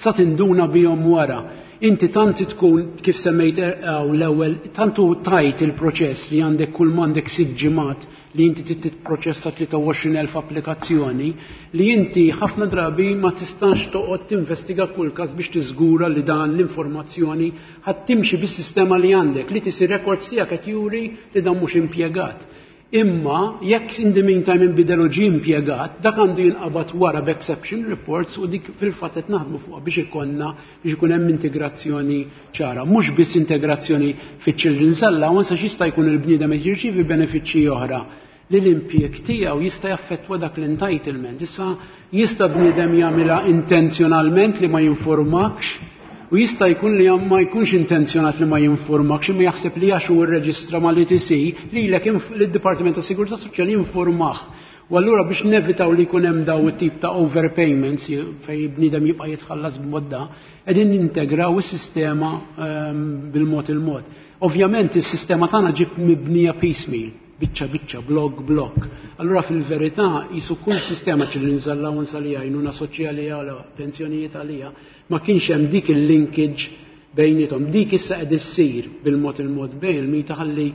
sa tinduna bihom wara. Inti tant tkun, kif semmejt l-ewwel, tantu tajt il-proċess li għandek kull m'għandek sitt ġimgħat li inti titproċessa tlieta u għoxrin elf applikazzjoni, li inti ħafna drabi ma tistax toqgħod tinvestiga kull każ biex tiżgura li dan l-informazzjoni ħadd timxi bis-sistema li għandek, li tisir records tiegħek qed juri li dan mhux impjegat. Imma jekk in the meantime inbidel u ġie impjegat, dak għandu jinqabad wara b'exception reports u dik fil-fatt qed naħdmu fuqha biex ikollna biex ikun hemm integrazzjoni ċara. Mhux biss integrazzjoni fiċ-Children's Allowance, għax jista' jkun il-bniedem qed jirċievi benefiċċji oħra li l-impjeg tiegħu jista' jaffettwa dak l-entitlement. Issa jista' bniedem jagħmilha intenzjonalment li ma jinformakx, u jista' jkun li ma jkunx intenzjonat li ma jinformakx, imma jaħseb li għax hu rreġistra mal-E T C lilek lid-Dipartiment tas Sigurtà Soċjali jinformah. U allura biex nevitaw li jkun hemm daw it-tip ta' overpayments fejn bniedem jibqa' jitħallas b'mod da, qegħdin nintegraw is-sistema, ehm, bil-mod il-mod. Ovvjament is-sistema tagħna ġiet mibnija piecemeal, biċċa biċċa, blok blok. Allura fil-verità jisu kull sistema Children's Allowance għalija, għajnuna soċjali għalija, pensjonijiet għalija, ma kienx hemm dik il-linkage bejnietom. Dik issa qed issir bil-mod il-mod bejn il-MITA ħalli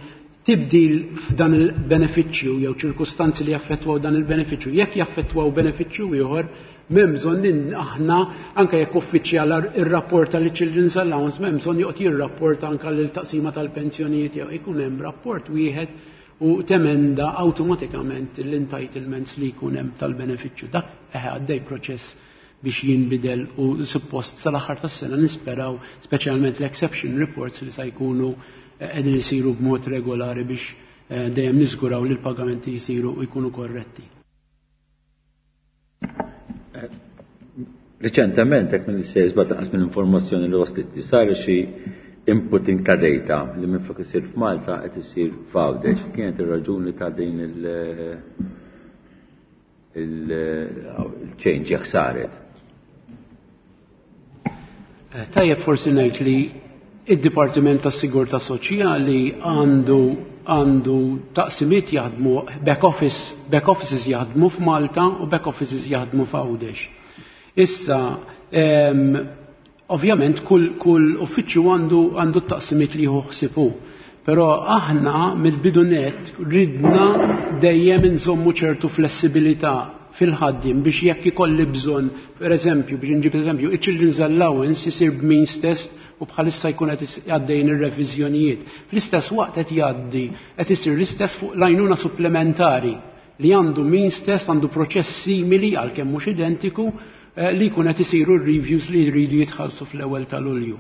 tibdil f'dan il-benefiċċju jew ċirkustanzi li jaffettwaw dan il-benefiċċju. Jekk jaffettwaw benefiċċju ieħor, m'hemm bżonn li aħna anke jekk uffiċjal irrapporta li Children's Allowance, m'hemm bżonn joqgħod jirrapporta anke lil taqsima tal-pensjonijiet jew ikun hemm rapport wieħed u temenda awtomatikament l-entitlements li jkun hemm tal-benefiċċju. Dak eħe għaddej proċess biex jinbidel u suppost sal-aħħar tas-sena nisperaw speċjalment l-exception reports li sa jkunu qegħdin isiru b'mod regolari biex, eh, dejjem niżguraw li l-pagamenti jsiru u jkunu korretti. Eh, Reċentement, hekk mill-sejs bata naqas mill-informazzjoni li waslet li sar xi inputting ta' data li minflok isir f'Malta qed isir f'Għawdex. Kienet ir-raġuni ta' din il-, il-, il-change jekk saret. Eh, tajjeb forsi ngħid li id-Dipartiment tas-Sigurtà Soċjali għandu, għandu taqsimiet jaħdmu back office, back offices jaħdmu f'Malta u back offices jaħdmu f'Għawdex. Issa, em, ovvjament kull, kull uffiċċju għandu, għandu t-taqsimiet li jieħu ħsibu. Però aħna mill-bidu net ridna dejjem inżommu ċertu flessibilità fil-ħaddim biex jekk ikolli bżonn, per eżempju, biex nġib eżempju, iċ-Children's Allowance isir b'means test u bħalissa jkun qed is-, għaddejn ir-reviżjonijiet. Fl-istess waqt qed jgħaddi, qed isir l-istess fuq l-għajnuna supplementari li għandu means test, għandu proċess simili għalkemm mhux identiku, eh, li jkun qed isiru r-reviews li jridu jitħallsu fl-ewwel ta' Lulju.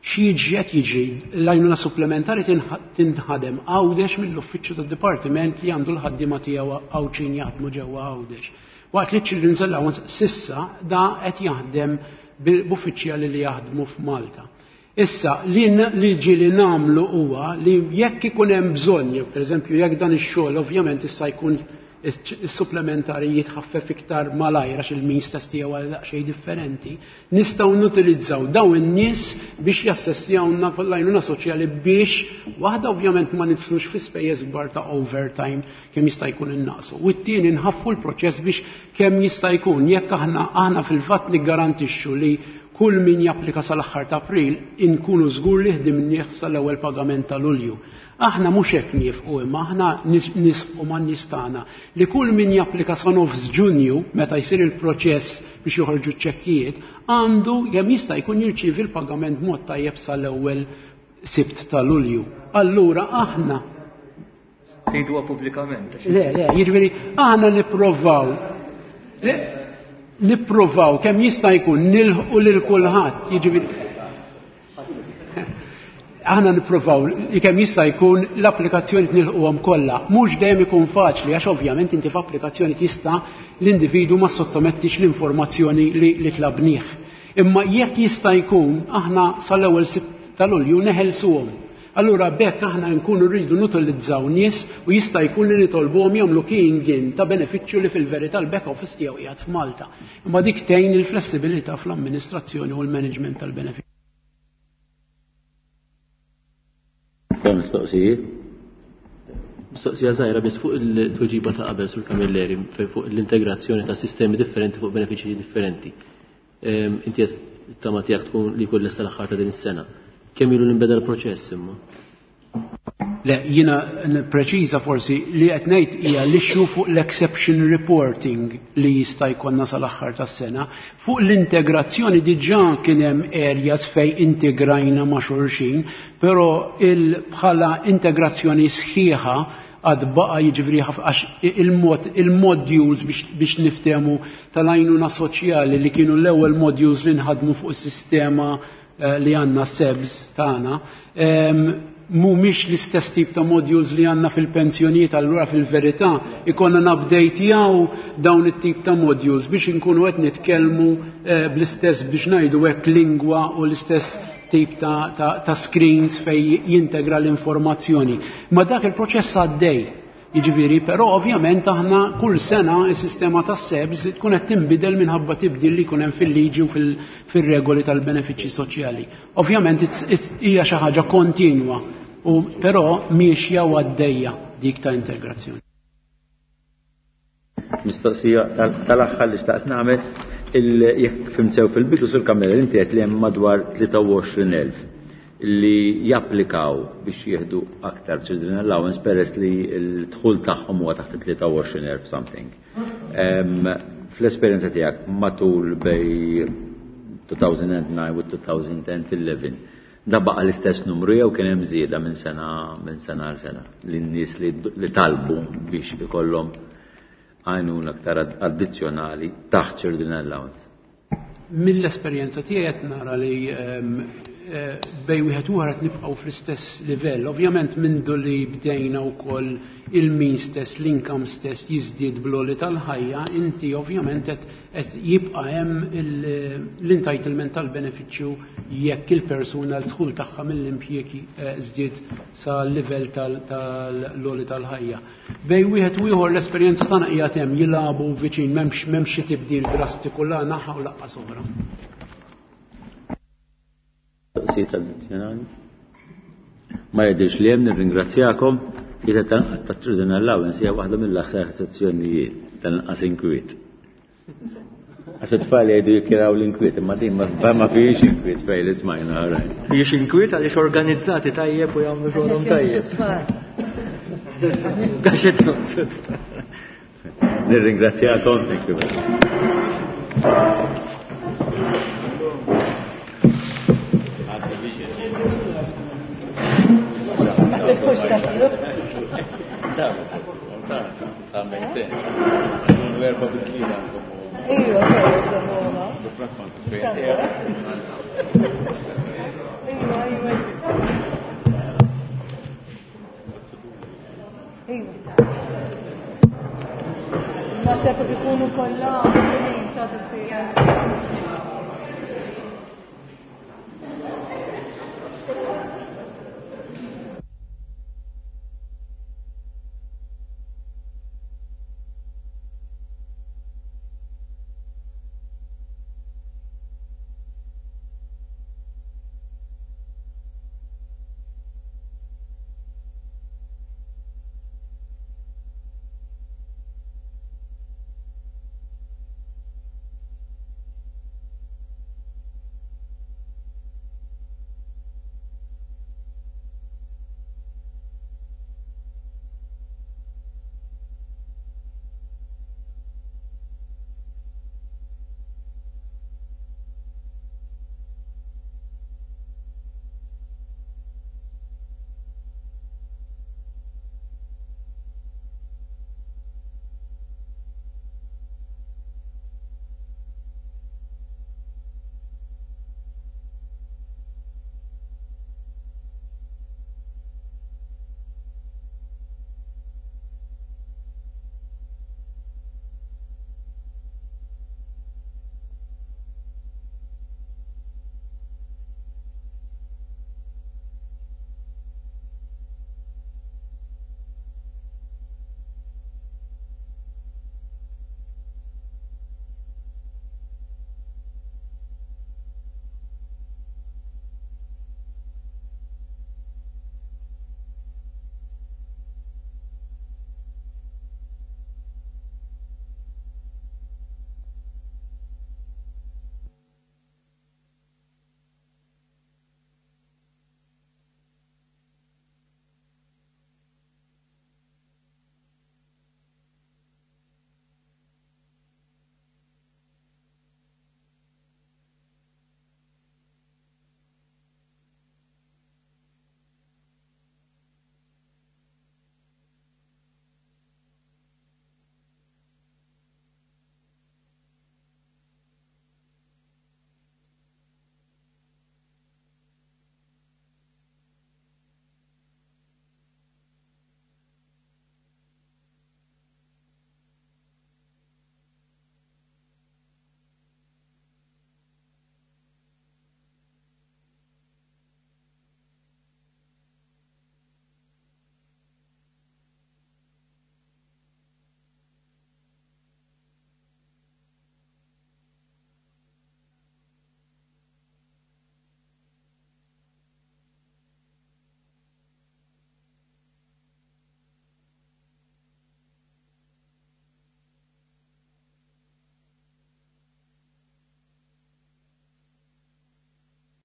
X'jiġri qed jiġri, l-għajnuna supplementari tinħ-, tinħadem Għawdex mill-uffiċċju tad-dipartiment li għandu l-ħaddiema tiegħu Għawdxin jaħdmu ġewwa Għawdex. Waqt li Children's Allowance sissa da qed jaħdem b'uffiċjali li jaħdmu f'Malta. Issa, li n-, li ġieli nagħmlu huwa li jekk ikun hemm bżonn, jew pereżempju jekk dan ix-xogħol ovvjament issa jkun is-supplementari jitħaffef iktar malajr għax il-means test tiegħu għal daqsxejn differenti, nistgħu nutilizzaw dawn in-nies biex jassessjawna l-għajnuna soċjali biex waħda ovvjament ma nidħlux fi spejjeż kbar ta' overtime kemm jista' jkun innaqsu. U t-tieni nħaffu l-proċess biex kemm jista' jkun jekk aħna, aħna fil-fatt niggarantixxu li kull min japplika sal-aħħar ta' April inkunu żgur li ħdimnieh sal-ewwel pagament ta' Lulju. Aħna mhux hekk niefqu, imma aħna nis-, nisqu man-nies tagħna li kull min japplika sa nofs Ġunju meta jsir il-proċess biex joħorġu ċ-ċekkijiet għandu kemm jista' jkun jirċievi l-pagament mod tajjeb sal-ewwel Sibt ta' Lulju. Allura aħna Tgħiduha pubblikament. Le, le, jiġifieri aħna nipprovaw Nippruvaw kemm jista' jkun nilħqu lil kulħadd, jiġifieri aħna nippruvaw li kemm jista' jkun l-applikazzjoni nilħquhom kollha. Mhux dejjem ikun faċli għax ovvjament inti f'applikazzjoni tista' l-individwu ma sottomettix l-informazzjoni li, li tlabnih. Imma jekk jista' jkun aħna sal-ewwel Sibt ta' Lulju neħelsuhom. Allura bekk aħna nkunu rridu nutilizzaw nies u jista' jkun li nitolbuhom jagħmlu keying in ta' benefiċċju li fil-verità l-back office tiegħu qiegħed f'Malta. Imma dik tgħin il-flessibilità fl-amministrazzjoni u l-management tal-benefiċċju. Kemm mistoqsijiet? Mistoqsija żgħira biss fuq il-tweġiba ta' qabel sur Camilleri fejn fuq l-integrazzjoni ta' sistemi differenti fuq benefiċċji differenti. Ehm, inti qed tama tiegħek tkun li jkun lesta l-aħħar ta' din is-sena. Kemm ilu nbeda l-proċess imma? Le, jiena preċiża forsi li qed ngħid hija l-issue fuq l-exception reporting li jista' jkollna sal-aħħar tas-sena. Fuq l-integrazzjoni diġà kien hemm areas fejn integrajna ma' xulxin, però il bħala integrazzjoni sħiħa għad baqa jiġifieri għax il-mod il-modules biex, biex niftehmu tal-għajnuna soċjali li kienu l-ewwel modules li nħadmu fuq is-sistema eh, li għandna SEBS tagħna, mhumiex l-istess tip ta' modules li għandna fil-pensjonijiet, allura fil-verità ikonna nupdatejjaw dawn it-tip ta' modules biex inkunu qed nitkellmu eh, bl-istess biex ngħidu hekk lingwa u l-istess tip ta', ta, ta' screens fej jintegra l-informazzjoni. Ma dak il-proċess għaddej. Jiġifieri, però ovvjament aħna kull sena s-sistema tas-SEBS tkun qed tinbidel minħabba tibdil li jkun hemm fil-liġi u fil-regoli tal-benefiċċji soċjali. Ovvjament hija xi ħaġa kontinwa, u però miexja u għaddejja dik ta' integrazzjoni. Mistoqsija tal-aħħar li xtaqt nagħmel, jekk fhimt sew fil-bidu sur Camilleri inti qed li hemm madwar tlieta u għoxrin elf li japplikaw biex jieħdu aktar children allowance peress li l-dħul tagħhom huwa taħt tlieta u għoxrin elf something. Fl-esperjenza tiegħek matul bej two thousand and nine u two thousand and eleven, da baqa l-istess numru jew kien hemm żieda minn sena minn sena għal sena li n-nies li, li talbu biex ikollhom għajnuna aktar addizzjonali taħt children allowance? Mill-esperjenza tiegħi qed nara li, ehm, eh, bej wieħed u ieħor qed nibqgħu fl-istess livell. Ovvjament mindu li bdejna wkoll il-means test, l-income test jiżdied bl-għoli tal-ħajja, inti ovvjament qed, qed jibqa' hemm il-, l-entitlement tal-benefiċċju jekk il-persuna l-dħul tagħha mill-impjiegi, eh, żdied sa livell tal-, tal-għoli tal-ħajja. Bej wieħed u ieħor l-esperjenza tagħna hija hemm jilagħbu viċin, m'hemmx, m'hemmx xi tibdil drastiku la naħa u laqqas oħra. Mistoqsijiet addizzjonali? Ma jidhirx li hemm, nirringrazzjakom. Jiena ta' children allowance hija waħda mill-aħħar sezzjonijiet tal-inqas inkwiet. Għax it-tfal jgħidu jikkiraw l-inkwiet, imma din ma-, ma fihiex inkwiet fejn li smajna, right. Fihiex inkwiet għaliex organizzati tajjeb u jagħmlu xogħolhom tajjeb. Għax qed jonqsu t-tfal. Nirringrazzjakom, thank you very much.